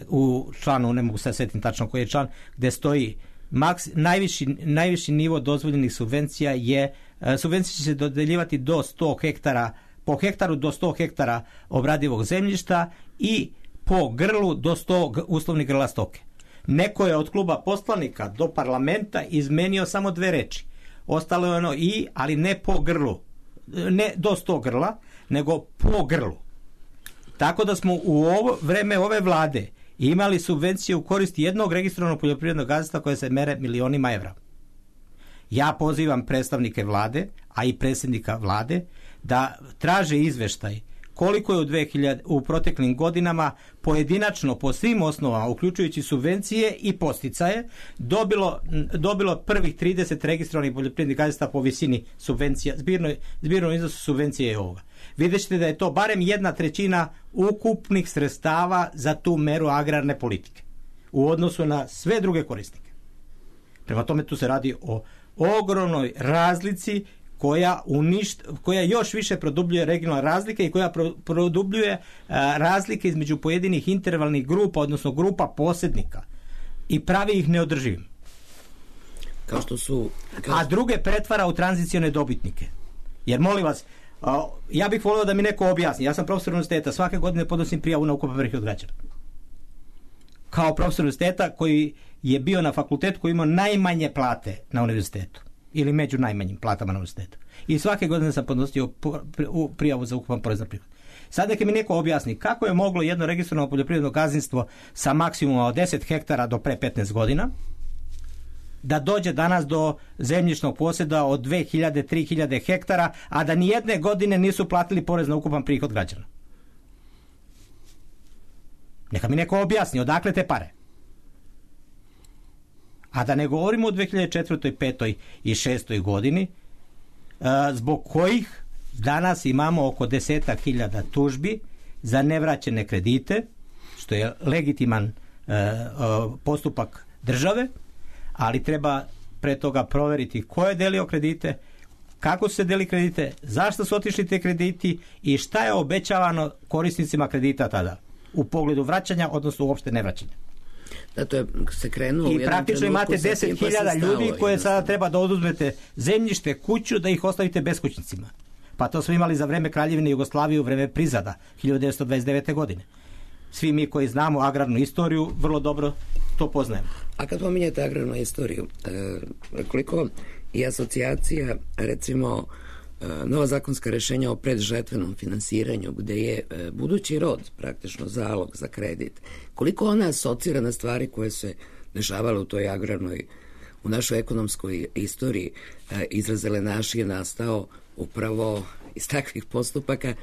u članu, ne mogu se sjetiti tačno koji je član, gde stoji maks, najviši, najviši nivo dozvoljenih subvencija je, subvencije će se dodeljivati do sto hektara, po hektaru do sto hektara obradivog zemljišta i po grlu do sto uslovnih grla stoke. Neko je od kluba poslanika do parlamenta izmenio samo dve reči. Ostalo je ono i, ali ne po grlu. Ne do sto grla, nego po grlu. Tako da smo u ovo vreme ove vlade imali subvencije u korist jednog registrovanog poljoprivrednog gazdinstva koje se mere milionima evra. Ja pozivam predstavnike vlade, a i predsjednika vlade, da traže izveštaj koliko je u, dve hiljade, u proteklim godinama pojedinačno po svim osnovama, uključujući subvencije i posticaje, dobilo, dobilo prvih trideset registrovanih poljoprivrednih gazdinstava po visini subvencija, zbirno, zbirno iznosu subvencije je ovoga. Vidjet ćete da je to barem jedna trećina ukupnih sredstava za tu meru agrarne politike u odnosu na sve druge korisnike. Prema tome tu se radi o ogromnoj razlici koja, uništ, koja još više produbljuje regionalne razlike i koja pro, produbljuje a, razlike između pojedinih intervalnih grupa, odnosno grupa posjednika i pravi ih neodrživim. Kao što su... Kao... A druge pretvara u tranzicione dobitnike. Jer molim vas, a, ja bih volio da mi neko objasni. Ja sam profesor univerziteta, svake godine podnosim prijavu na ukupan prihod građana. Kao profesor univerziteta koji je bio na fakultetu koji imao najmanje plate na univerzitetu. Ili među najmanjim platama na univerzitetu. I svake godine sam podnosio prijavu za ukupan porez na prihod. Sad neka mi neko objasni kako je moglo jedno registrovano poljoprivredno gazdinstvo sa maksimuma od deset hektara do pre petnaest godina da dođe danas do zemljišnog posjeda od dve hiljade do tri hiljade hektara, a da ni jedne godine nisu platili porez na ukupan prihod građana. Neka mi neko objasni odakle te pare. A da ne govorimo o dve hiljade četvrtoj, petoj i šestoj godini, zbog kojih danas imamo oko desetak hiljada tužbi za nevraćene kredite, što je legitiman postupak države, ali treba pre toga proveriti ko je delio kredite, kako su se deli kredite, zašto su otišli te krediti i šta je obećavano korisnicima kredita tada u pogledu vraćanja, odnosno uopšte nevraćanja. Da, to je se krenulo i praktično imate deset hiljada ljudi koje sada treba da oduzmete zemljište, kuću, da ih ostavite beskućnicima. Pa to smo imali za vreme Kraljevine Jugoslavije u vreme Prizada hiljadu devetsto dvadeset devete. godine. Svi mi koji znamo agrarnu istoriju vrlo dobro to poznajemo. A kad pominjete agrarnu istoriju, e, koliko i asocijacija, recimo nova zakonska rešenja o predžetvenom finansiranju, gde je e, budući rod praktično zalog za kredit, koliko ona asocira na stvari koje se dešavale u toj agrarnoj, u našoj ekonomskoj istoriji, e, izraz zelenaši je nastao upravo iz takvih postupaka, e,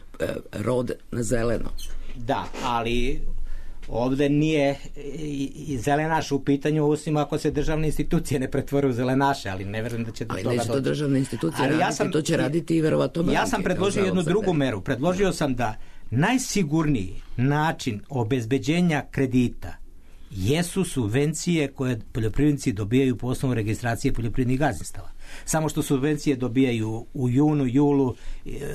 rod na zeleno. Da, ali ovde nije i zelenaš u pitanju, osim ako se državne institucije ne pretvore u zelenaše, ali ne verujem da će do ali toga neće to državne institucije ali raditi, ja sam, to će raditi i verovatno banke. Ja sam predložio jednu drugu meru. Predložio sam da najsigurniji način obezbeđenja kredita jesu subvencije koje poljoprivrednici dobijaju po osnovu registracije poljoprivrednih gazdinstava. Samo što subvencije dobijaju u junu, julu,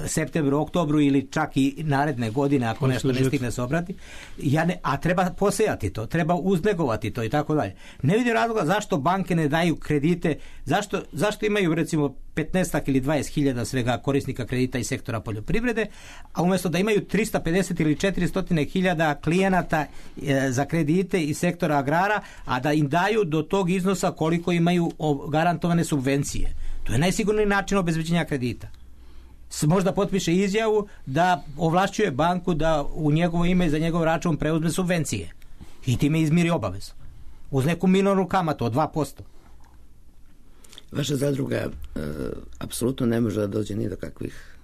septembru, oktobru ili čak i naredne godine ako nešto ne stigne se obrati. Ja ne, a treba posejati to, treba uznegovati to i tako dalje. Ne vidim razloga zašto banke ne daju kredite, zašto, zašto imaju recimo petnaest ili dvadeset hiljada svega korisnika kredita iz sektora poljoprivrede, a umjesto da imaju trista pedeset ili četiristo hiljada klijenata e, za kredite iz sektora agrara, a da im daju do tog iznosa koliko imaju garantovane subvencije. To je najsigurniji način obezbeđenja kredita. Možda potpiše izjavu da ovlašćuje banku da u njegovo ime i za njegov račun preuzme subvencije i time izmiri obavezu. Uz neku minornu kamatu od dva posto. Vaša zadruga e, apsolutno ne može da dođe ni do kakvih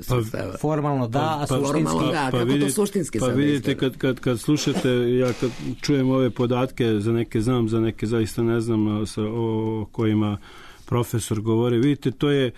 sredstava. Formalno da, a suštinski formalno da, pa, kako vidite, to suštinski pa sada vidite kad, kad, kad slušate, ja kad čujem ove podatke, za neke znam, za neke zaista ne znam sa, o kojima profesor govori, vidite, to je,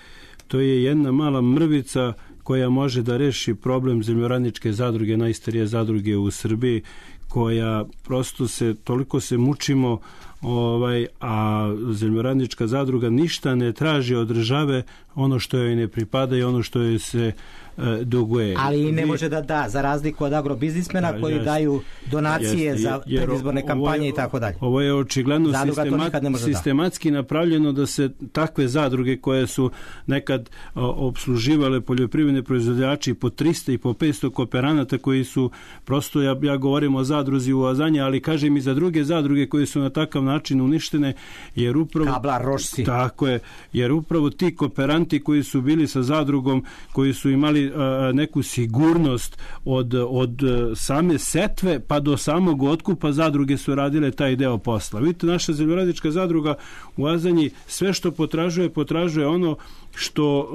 to je jedna mala mrvica koja može da reši problem zemljoradničke zadruge, najstarije zadruge u Srbiji, koja prosto se, toliko se mučimo ovaj, a zemljoradnička zadruga ništa ne traži od države ono što joj ne pripada i ono što joj se e, duguje. Ali ne može da da, za razliku od agrobiznismena da, koji jest, daju donacije jest, za jer, predizborne kampanje i tako dalje. Ovo je očigledno sistemat, sistematski da. napravljeno da se takve zadruge koje su nekad o, obsluživale poljoprivredne proizvođači po trista i po petsto kooperanata koji su prosto, ja, ja govorim o zadruzi u Azanje, ali kažem i za druge zadruge koje su na takav način uništene, jer upravo Kablar, Rošci. Tako je, jer upravo ti kooperanti koji su bili sa zadrugom, koji su imali a, neku sigurnost od, od same setve pa do samog otkupa, zadruge su radile taj deo posla. Vidite, naša zemljoradnička zadruga u Azanji sve što potražuje, potražuje ono što,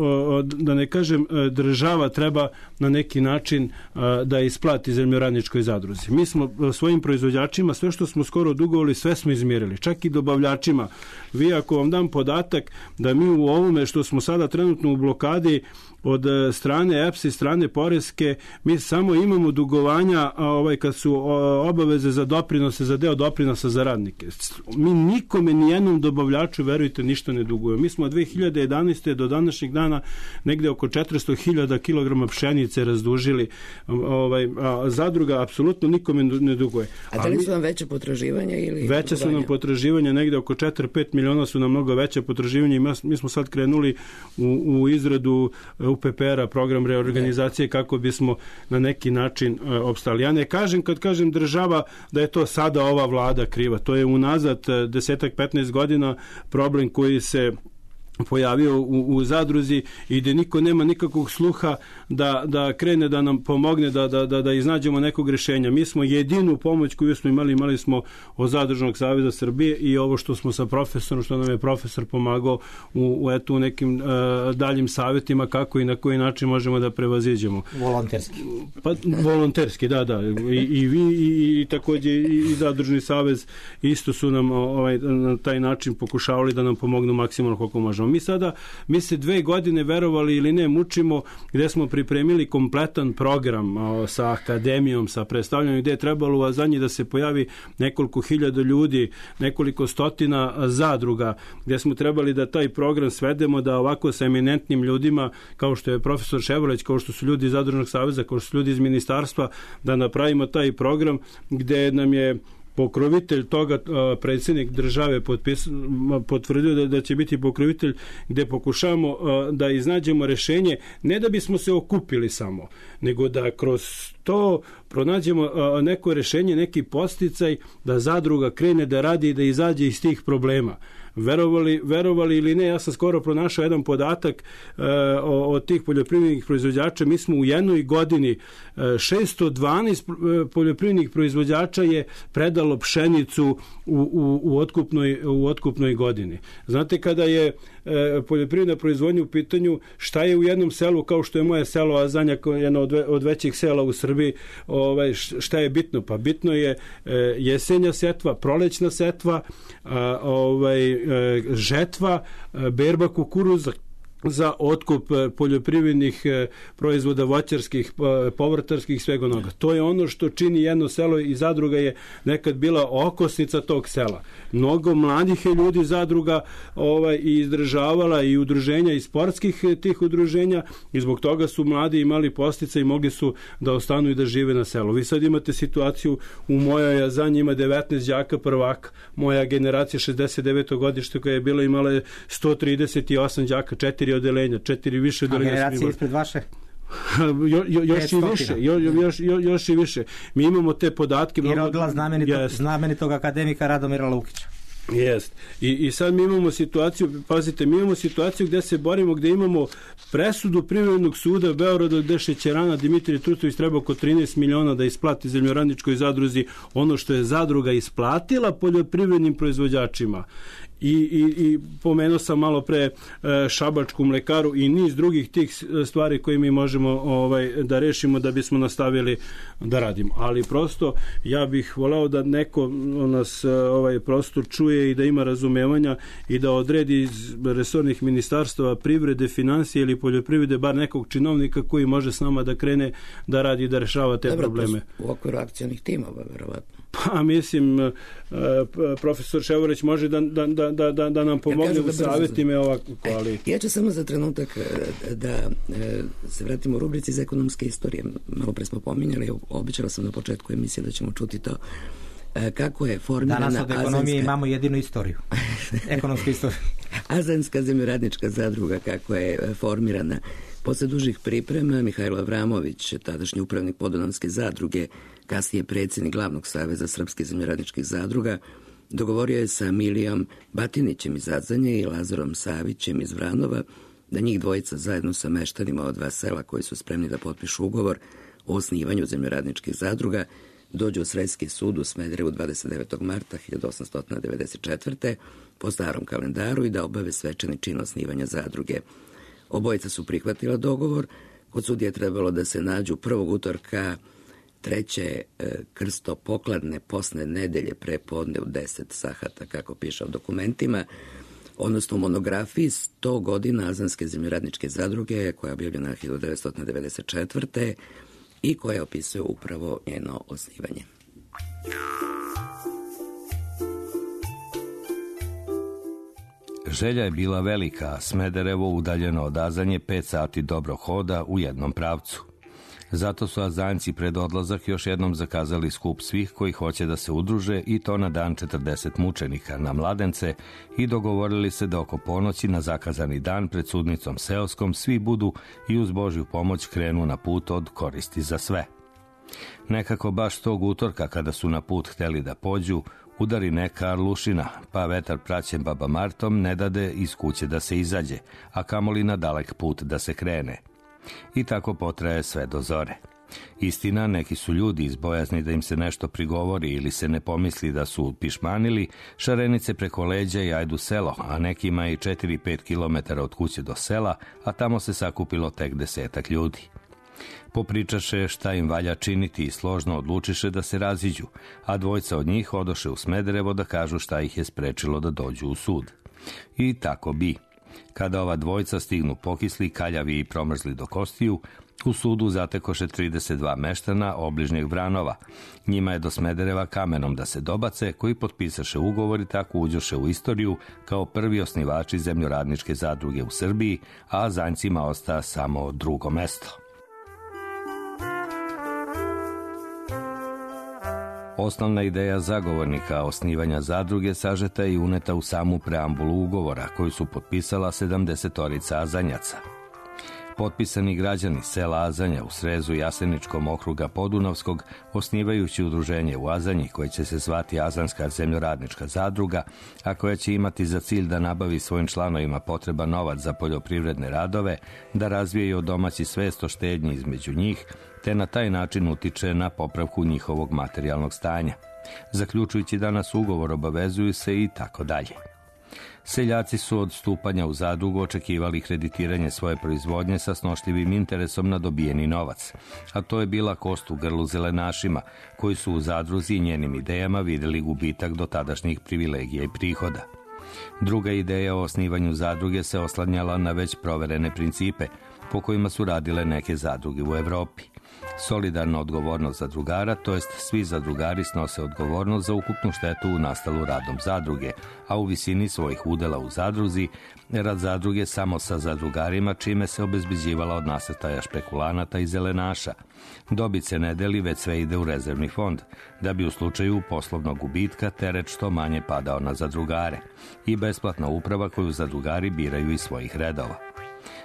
da ne kažem, država treba na neki način da isplati zemljoradničkoj zadruzi. Mi smo svojim proizvođačima sve što smo skoro dugovali, sve smo izmirili, čak i dobavljačima. Vi ako vam dam podatak da mi u ovome što smo sada trenutno u blokadi od strane E P S i strane poreske, mi samo imamo dugovanja ovaj, kad su obaveze za doprinose, za deo doprinosa za radnike. Mi nikome, nijednom dobavljaču, verujte, ništa ne dugujemo. Mi smo od dve hiljade jedanaeste do današnjeg dana negde oko četiristo hiljada kilograma pšenice razdužili. Ovaj, a zadruga apsolutno nikome ne duguje. A da li su vam veće potraživanja? Ili veće su nam potraživanja, negde oko četiri do pet miliona su nam mnogo veće potraživanja i mi smo sad krenuli u, u izradu U P P R-a, program reorganizacije, kako bismo na neki način uh, opstali. Ja ne kažem, kad kažem država, da je to sada ova vlada kriva. To je unazad desetak, petnaest godina problem koji se pojavio u, u zadruzi i gde niko nema nikakvog sluha da, da krene da nam pomogne da, da, da, da iznađemo nekog rješenja. Mi smo jedinu pomoć koju smo imali, imali smo od Zadružnog saveza Srbije i ovo što smo sa profesorom, što nam je profesor pomagao u, u, eto, u nekim uh, daljim savjetima kako i na koji način možemo da prevaziđemo. Volonterski. Pa, volonterski, da, da. I, i vi i, i takođe i, i Zadružni savez isto su nam ovaj, na taj način pokušavali da nam pomognu maksimalno koliko možemo. Mi sada, mi se dve godine, verovali ili ne, mučimo gde smo pripremili kompletan program o, sa akademijom, sa predstavljanjem, gde je trebalo u Azanji da se pojavi nekoliko hiljada ljudi, nekoliko stotina zadruga, gde smo trebali da taj program svedemo da ovako sa eminentnim ljudima, kao što je profesor Ševrleć, kao što su ljudi iz Zadružnog saveza, kao što su ljudi iz ministarstva, da napravimo taj program gde nam je pokrovitelj toga, predsjednik države potpis, potvrdio da, da će biti pokrovitelj, gde pokušavamo da iznađemo rešenje, ne da bismo se okupili samo, nego da kroz to pronađemo neko rešenje, neki podsticaj da zadruga krene da radi i da izađe iz tih problema. Verovali, verovali ili ne, ja sam skoro pronašao jedan podatak uh, od tih poljoprivrednih proizvođača. Mi smo u jednoj godini uh, šesto dvanaest poljoprivrednih proizvođača je predalo pšenicu u, u, u, otkupnoj, u otkupnoj godini. Znate, kada je uh, poljoprivredna proizvodnja u pitanju, šta je u jednom selu, kao što je moje selo Azanja, jedno od, od većih sela u Srbiji, ovaj, šta je bitno? Pa bitno je uh, jesenja setva, prolećna setva, uh, ovaj, žetva, berba kukuruza za otkup poljoprivrednih proizvoda, voćarskih, povrtarskih, svega onoga. To je ono što čini jedno selo i zadruga je nekad bila okosnica tog sela. Mnogo mladih je ljudi zadruga ovaj, i izdržavala i udruženja i sportskih tih udruženja i zbog toga su mladi imali postica i mogli su da ostanu i da žive na selu. Vi sad imate situaciju, u mojoj Azanji ima devetnaest đaka prvaka. Moja generacija šezdeset deveto godište koja je bila imala je sto trideset osam đaka, četiri odelenja, četiri više odelenja. A generacija ispred vaše? jo, jo, još i više, jo, još, jo, još i više. Mi imamo te podatke. I rodila znamenitog, yes. znamenitog akademika Radomira Lukića. Jest. I, I sad mi imamo situaciju, pazite, mi imamo situaciju gde se borimo, gde imamo presudu Privrednog suda Beograda gde šećerana Dimitrije Trutović treba oko trinaest miliona da isplati zemljoradničkoj zadruzi ono što je zadruga isplatila poljoprivrednim proizvođačima. I, i, i pomenuo sam malo pre e, šabačku mlekaru i niz drugih tih stvari koje mi možemo ovaj, da rešimo da bismo nastavili da radimo. Ali prosto ja bih voleo da neko nas ovaj, prosto čuje i da ima razumevanja i da odredi iz resornih ministarstava privrede, financije ili poljoprivrede bar nekog činovnika koji može s nama da krene da radi i da rešava te Dobro, probleme. U okviru akcionih timova, verovatno. Pa mislim, profesor Ševoreć može da, da, da, da, da nam pomogne ja u savjetima ova koalicija. Ja ću samo za trenutak da se vratimo u rubrici iz ekonomske istorije. Malo pre smo pominjali, običala sam na početku emisije da ćemo čuti to. Kako je formirana Danas od ekonomije Azanska... imamo jedinu istoriju. Ekonomsku istoriju. Azanska zemljoradnička zadruga, kako je formirana. Posle dužih priprema, Mihajlo Avramović, tadašnji upravnik Podunavske zadruge, kasnije predsjednik Glavnog saveza srpskih zemljoradničkih zadruga, dogovorio je sa Milijom Batinićem iz Adzanje i Lazarom Savićem iz Vranova da njih dvojica zajedno sa meštanima od dva sela koji su spremni da potpišu ugovor o osnivanju zemljoradničkih zadruga dođu u Sredski sud u Smederevu dvadeset devetog marta hiljadu osamsto devedeset četvrte po starom kalendaru i da obave svečani čin osnivanja zadruge. Obojica su prihvatila dogovor. Kod sudije je trebalo da se nađu prvog utorka treće krstopokladne posne nedelje pre podne u deset sahata, kako piše u dokumentima, odnosno u monografiji sto godina Azanske zemljoradničke zadruge, koja je objavljena hiljadu devetsto devedeset četvrte i koja opisuje upravo njeno osnivanje. Želja je bila velika, a Smederevo udaljeno od Azanje pet sati dobrog hoda u jednom pravcu. Zato su Azanjci pred odlazak još jednom zakazali skup svih koji hoće da se udruže i to na dan četrdeset mučenika na Mladence i dogovorili se da oko ponoći na zakazani dan pred sudnicom seoskom svi budu i uz Božju pomoć krenu na put od koristi za sve. Nekako baš tog utorka kada su na put hteli da pođu, udari neka arlušina, pa vetar praćen baba Martom ne dade iz kuće da se izađe, a kamoli na dalek put da se krene. I tako potraje sve do zore. Istina, neki su ljudi iz bojazni da im se nešto prigovori ili se ne pomisli da su pišmanili, šarenice preko leđa i ajdu selo, a nekima i četiri pet kilometara od kuće do sela, a tamo se sakupilo tek desetak ljudi. Popričaše šta im valja činiti i složno odlučiše da se raziđu, a dvojca od njih odoše u Smederevo da kažu šta ih je sprečilo da dođu u sud. I tako bi. Kada ova dvojca stignu pokisli, kaljavi i promrzli do kostiju, u sudu zatekoše trideset dva meštana obližnjeg Vranova. Njima je do Smedereva kamenom da se dobace, koji potpisaše ugovor i tako uđoše u istoriju kao prvi osnivači zemljoradničke zadruge u Srbiji, a Azanjcima osta samo drugo mesto. Osnovna ideja zagovornika osnivanja zadruge sažeta i uneta u samu preambulu ugovora koju su potpisala sedamdesetorica Azanjaca. Potpisani građani sela Azanja u srezu Jaseničkom okruga Podunavskog, osnivajući udruženje u Azanji koje će se zvati Azanska zemljoradnička zadruga, a koja će imati za cilj da nabavi svojim članovima potreban novac za poljoprivredne radove, da razvijaju domaći svest o štednji između njih, te na taj način utiče na popravku njihovog materijalnog stanja. Zaključujući danas ugovor, obavezuju se i tako dalje. Seljaci su od stupanja u zadrugu očekivali kreditiranje svoje proizvodnje sa snošljivim interesom na dobijeni novac, a to je bila kost u grlu zelenašima, koji su u zadruzi i njenim idejama vidjeli gubitak do tadašnjih privilegija i prihoda. Druga ideja o osnivanju zadruge se oslanjala na već proverene principe, po kojima su radile neke zadruge u Evropi. Solidarna odgovornost zadrugara, to jest svi zadrugari snose odgovornost za ukupnu štetu nastalu radom zadruge, a u visini svojih udela u zadruzi, rad zadruge samo sa zadrugarima, čime se obezbeđivala od nasrtaja špekulanata i zelenaša. Dobit se ne deli, već sve ide u rezervni fond, da bi u slučaju poslovnog gubitka teret što manje padao na zadrugare, i besplatna uprava koju zadrugari biraju iz svojih redova.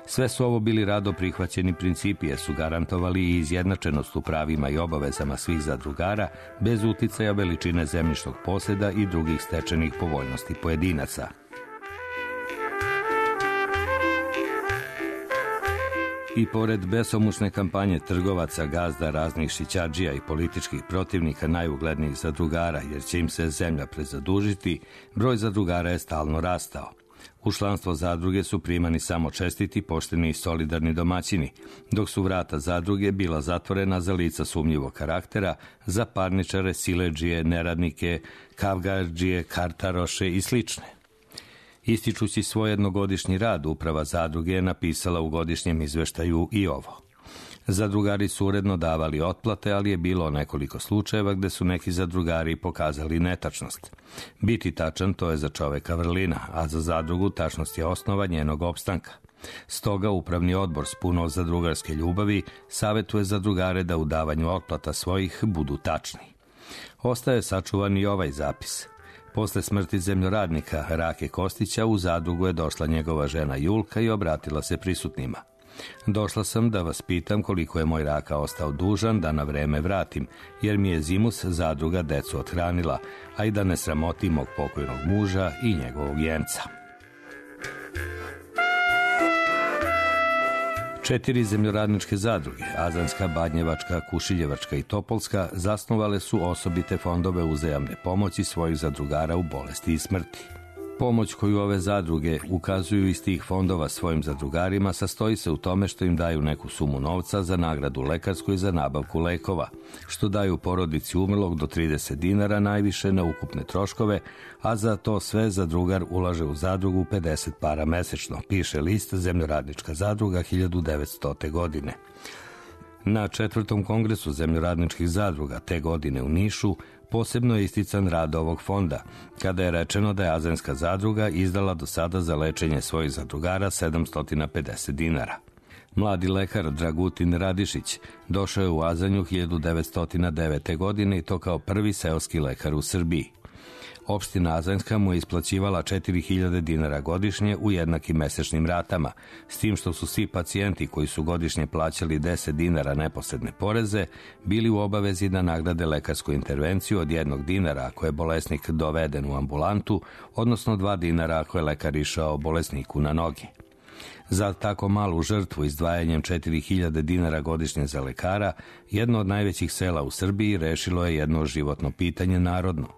Sve su ovo bili rado prihvaćeni principi, jer su garantovali i izjednačenost u pravima i obavezama svih zadrugara, bez uticaja veličine zemljišnog posjeda i drugih stečenih povoljnosti pojedinaca. I pored besomučne kampanje trgovaca, gazda, raznih šićardžija i političkih protivnika najuglednijih zadrugara, jer će im se zemlja prezadužiti, broj zadrugara je stalno rastao. U članstvo zadruge su primani samo čestiti, pošteni i solidarni domaćini, dok su vrata zadruge bila zatvorena za lica sumnjivog karaktera, za parničare, siledžije, neradnike, kavgardžije, kartaroše i slične. Ističući svoj jednogodišnji rad, uprava zadruge je napisala u godišnjem izveštaju i ovo. Zadrugari su uredno davali otplate, ali je bilo nekoliko slučajeva gde su neki zadrugari pokazali netačnost. Biti tačan to je za čoveka vrlina, a za zadrugu tačnost je osnova njenog opstanka. Stoga upravni odbor s puno zadrugarske ljubavi savetuje zadrugare da u davanju otplata svojih budu tačni. Ostaje sačuvan i ovaj zapis. Posle smrti zemljoradnika Rake Kostića u zadrugu je došla njegova žena Julka i obratila se prisutnima. Došla sam da vas pitam koliko je moj Raka ostao dužan da na vreme vratim, jer mi je zimus zadruga decu othranila, a i da ne sramoti mog pokojnog muža i njegovog jenca. Četiri zemljoradničke zadruge, Azanska, Badnjevačka, Kušiljevačka i Topolska, zasnovale su osobite fondove uzajamne pomoći svojih zadrugara u bolesti i smrti. Pomoć koju ove zadruge ukazuju iz tih fondova svojim zadrugarima sastoji se u tome što im daju neku sumu novca za nagradu lekarsku i za nabavku lekova, što daju porodici umrlog do trideset dinara najviše na ukupne troškove, a za to sve zadrugar ulaže u zadrugu pedeset para mesečno, piše list Zemljoradnička zadruga hiljadu devetstote. godine. Na četvrtom kongresu zemljoradničkih zadruga te godine u Nišu posebno je istican rad ovog fonda, kada je rečeno da je Azanska zadruga izdala do sada za lečenje svojih zadrugara sedamsto pedeset dinara. Mladi lekar Dragutin Radišić došao je u Azanju hiljadu devetsto devete. godine i to kao prvi seoski lekar u Srbiji. Opština Azanjska mu je isplaćivala četiri hiljade dinara godišnje u jednakim mesečnim ratama, s tim što su svi pacijenti koji su godišnje plaćali deset dinara neposredne poreze bili u obavezi da nagrade lekarsku intervenciju od jednog dinara ako je bolesnik doveden u ambulantu, odnosno dva dinara ako je lekar išao bolesniku na noge. Za tako malu žrtvu izdvajanjem četiri hiljade dinara godišnje za lekara, jedno od najvećih sela u Srbiji rešilo je jedno životno pitanje narodno.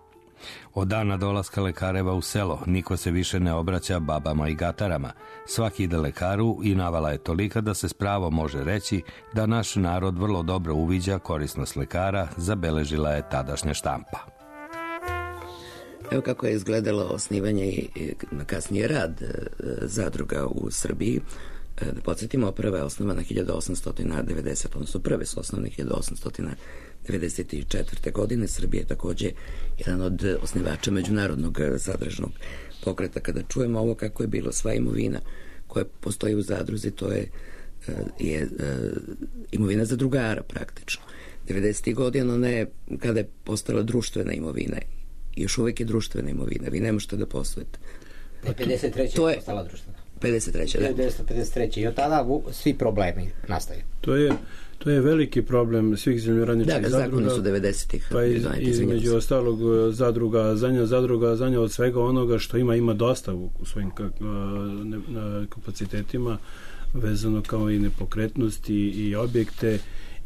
Od dana dolaska lekareva u selo niko se više ne obraća babama i gatarama. Svaki ide lekaru i navala je tolika da se s pravom može reći da naš narod vrlo dobro uviđa korisnost lekara, zabeležila je tadašnja štampa. Evo kako je izgledalo osnivanje i kasnije rad zadruga u Srbiji. Da podsjetimo, prva je osnovana hiljadu osamsto devedesete. odnosno prve su osnovane hiljadu osamsto devedeset četvrte. godine. Srbija je takođe jedan od osnivača međunarodnog zadružnog pokreta. Kada čujemo ovo kako je bilo, sva imovina koja postoji u zadruzi, to je, je imovina zadrugara praktično. devedesetih godina ona je, kada je postala društvena imovina, još uvek je društvena imovina, vi ne možete da poslujete. pedeset treće je postala društvena. pedeset treće. hiljadu devetsto pedeset treće. I od tada svi problemi nastaju. To je, to je veliki problem svih zemljoradničkih da, zadruga. Da, zakoni su devedesetih. Pa iz, između ostalog zadruga Azanja, zadruga Azanja od svega onoga što ima, ima dosta u svojim kapacitetima, vezano kao i nepokretnosti i objekte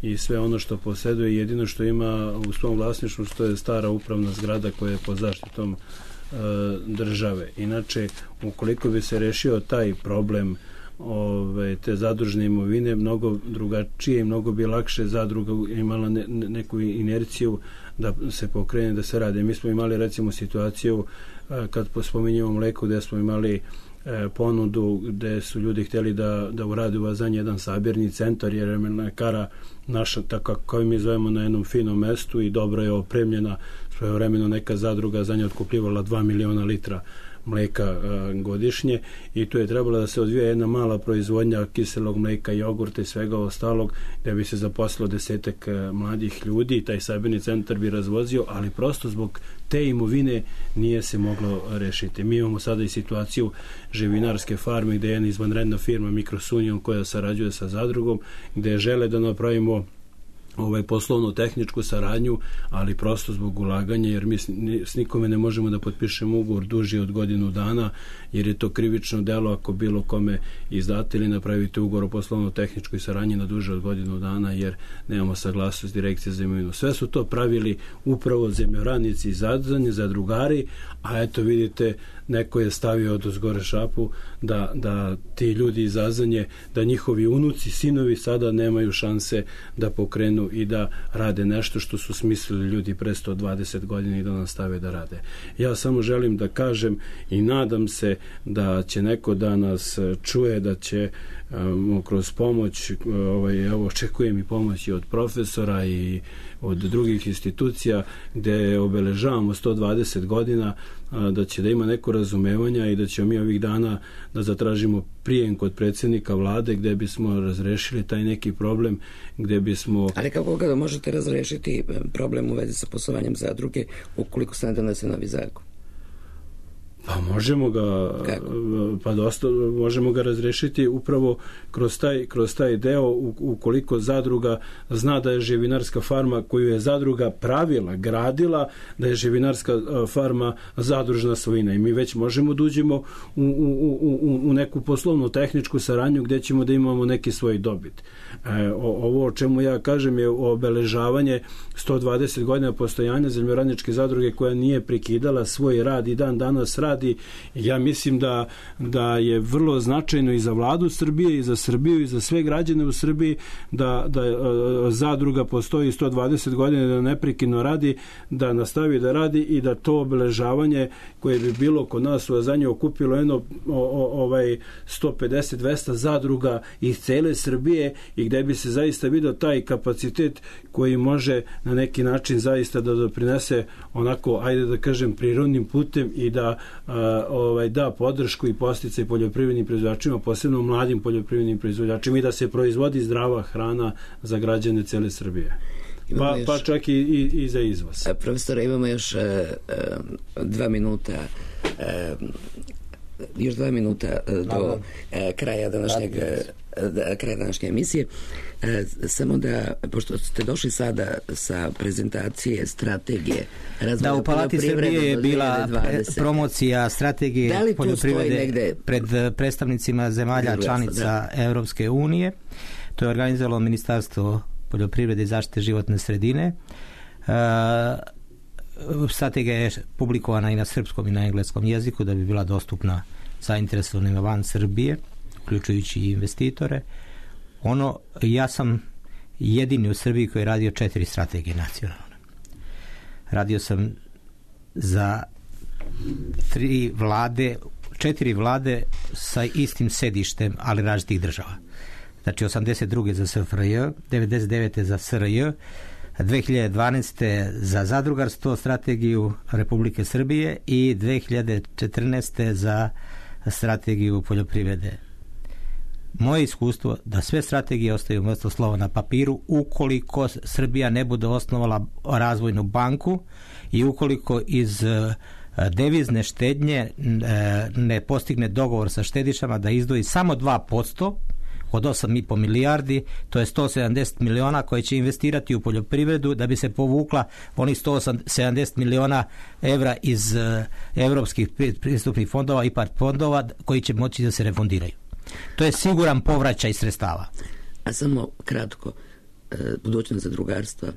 i sve ono što posjeduje. Jedino što ima u svom vlasništvu što je stara upravna zgrada koja je pod zaštitom države. Inače, ukoliko bi se rešio taj problem ove, te zadružne imovine, mnogo drugačije i mnogo bi lakše zadruga imala ne, ne, neku inerciju da se pokrene, da se rade. Mi smo imali recimo situaciju kad spominjemo mleko, gde smo imali e, ponudu gde su ljudi htjeli da, da urade u Azanji jedan sabirni centar, jer je mlekara naša, tako kako mi zovemo, na jednom finom mestu i dobro je opremljena. Svojevremeno neka zadruga Azanja otkupljivala dva miliona litra mleka a, godišnje i tu je trebalo da se odvija jedna mala proizvodnja kiselog mleka, jogurta i svega ostalog, da bi se zaposlilo desetak a, mladih ljudi i taj sabirni centar bi razvozio, ali prosto zbog te imovine nije se moglo rešiti. Mi imamo sada i situaciju živinarske farme gde je jedna izvanredna firma Microsunion koja sarađuje sa zadrugom, gde žele da napravimo ovaj poslovnu tehničku saradnju, ali prosto zbog ulaganja, jer mi s nikome ne možemo da potpišemo ugovor duži od godinu dana, jer je to krivično delo ako bilo kome izdate ili napravite ugovor o poslovno tehničkoj saradnji na duže od godinu dana, jer nemamo saglasnost direkcije za imovinu. Sve su to pravili upravo zemljoradnici iz Azanje, zadrugari, a eto vidite neko je stavio od uzgore šapu da, da ti ljudi iz Azanje, da njihovi unuci, sinovi sada nemaju šanse da pokrenu i da rade nešto što su smislili ljudi pre sto dvadeset godina i da nastave da rade. Ja samo želim da kažem i nadam se da će neko da nas čuje, da će um, kroz pomoć, ovaj, evo, očekujem i pomoći od profesora i od drugih institucija gde obeležavamo sto dvadeset godina, da će da ima neko razumevanja i da ćemo mi ovih dana da zatražimo prijem kod predsjednika vlade gde bismo razrešili taj neki problem, gde bismo... Ali kako ga možete razrešiti problem u vezi sa poslovanjem zadruge ukoliko se ne donese novi zakon? Pa možemo ga Kako? pa dosta možemo ga razrešiti upravo kroz taj, kroz taj deo ukoliko zadruga zna da je živinarska farma koju je zadruga pravila, gradila, da je živinarska farma zadružna svojina i mi već možemo da uđemo u, u, u, u neku poslovnu tehničku saradnju gde ćemo da imamo neki svoj dobit. E, ovo o čemu ja kažem je obeležavanje sto dvadeset godina postojanja zemljoradničke zadruge koja nije prekidala svoj rad i dan danas radi. Ja mislim da, da je vrlo značajno i za vladu Srbije i za Srbiju i za sve građane u Srbiji da, da zadruga postoji sto dvadeset godina, da neprekidno radi, da nastavi da radi i da to obeležavanje koje bi bilo kod nas u Azanji okupilo jedno o, o, ovaj sto pedeset do dvesta zadruga iz cele Srbije i gde bi se zaista vidio taj kapacitet koji može na neki način zaista da doprinese onako, ajde da kažem, prirodnim putem i da a, ovaj, da podršku i podsticaj poljoprivrednim proizvođačima, posebno mladim poljoprivrednim proizvođačima i da se proizvodi zdrava hrana za građane cele Srbije. Pa, još, pa čak i, i, i za izvoz. Profesore, imamo još uh, uh, dva minuta uh, još dva minuta do e, kraja današnjeg da, kraja današnje emisije. E, samo da, pošto ste došli sada sa prezentacije strategije razvoja da, u Palati Srbije je bila promocija strategije da poljoprivrede negde... pred predstavnicima zemalja članica da. Evropske unije. To je organizovalo Ministarstvo poljoprivrede i zaštite životne sredine. E, Strategija je publikovana i na srpskom i na engleskom jeziku da bi bila dostupna zainteresovanima van Srbije, uključujući i investitore. Ono, ja sam jedini u Srbiji koji je radio četiri strategije nacionalne. Radio sam za tri vlade, četiri vlade sa istim sedištem, ali različitih država. Znači osamdeset druge za S F R J, devedeset devete za S R J, dve hiljade dvanaeste za zadrugarstvo, strategiju Republike Srbije i dve hiljade četrnaeste za strategiju poljoprivrede. Moje iskustvo da sve strategije ostaju mrtvo slovo na papiru ukoliko Srbija ne bude osnovala razvojnu banku i ukoliko iz devizne štednje ne postigne dogovor sa štedišama da izdvoji samo dva posto od osam i po milijardi, to je sto sedamdeset miliona koje će investirati u poljoprivredu da bi se povukla onih sto sedamdeset miliona evra iz uh, evropskih pristupnih fondova i part fondova koji će moći da se refundiraju. To je siguran povraćaj sredstava. A samo kratko, e, budućnost zadrugarstva.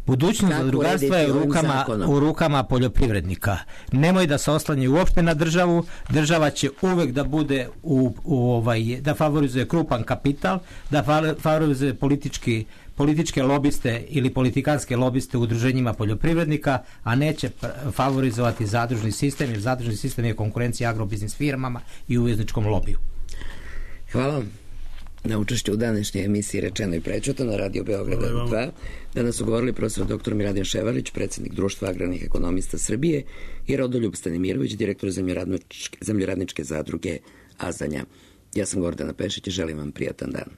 Budućnost zadrugarstva je u rukama, u rukama poljoprivrednika. Nemoj da se oslanjaju uopšte na državu. Država će uvek da bude u, u ovaj, da favorizuje krupan kapital, da favorizuje politički, političke lobiste ili politikanske lobiste u udruženjima poljoprivrednika, a neće favorizovati zadružni sistem, jer zadružni sistem je konkurencija agrobiznis firmama i uvezničkom lobiju. Hvala vam na učešću u današnjoj emisiji Rečeno i prećutano na Radio Beograda dva. Danas su govorili profesor doktor Miladin Ševarlić, predsjednik Društva agrarnih ekonomista Srbije, i Rodoljub Stanimirović, direktor zemljoradničke, zemljoradničke zadruge Azanja. Ja sam Gordana Pešić i želim vam prijatan dan.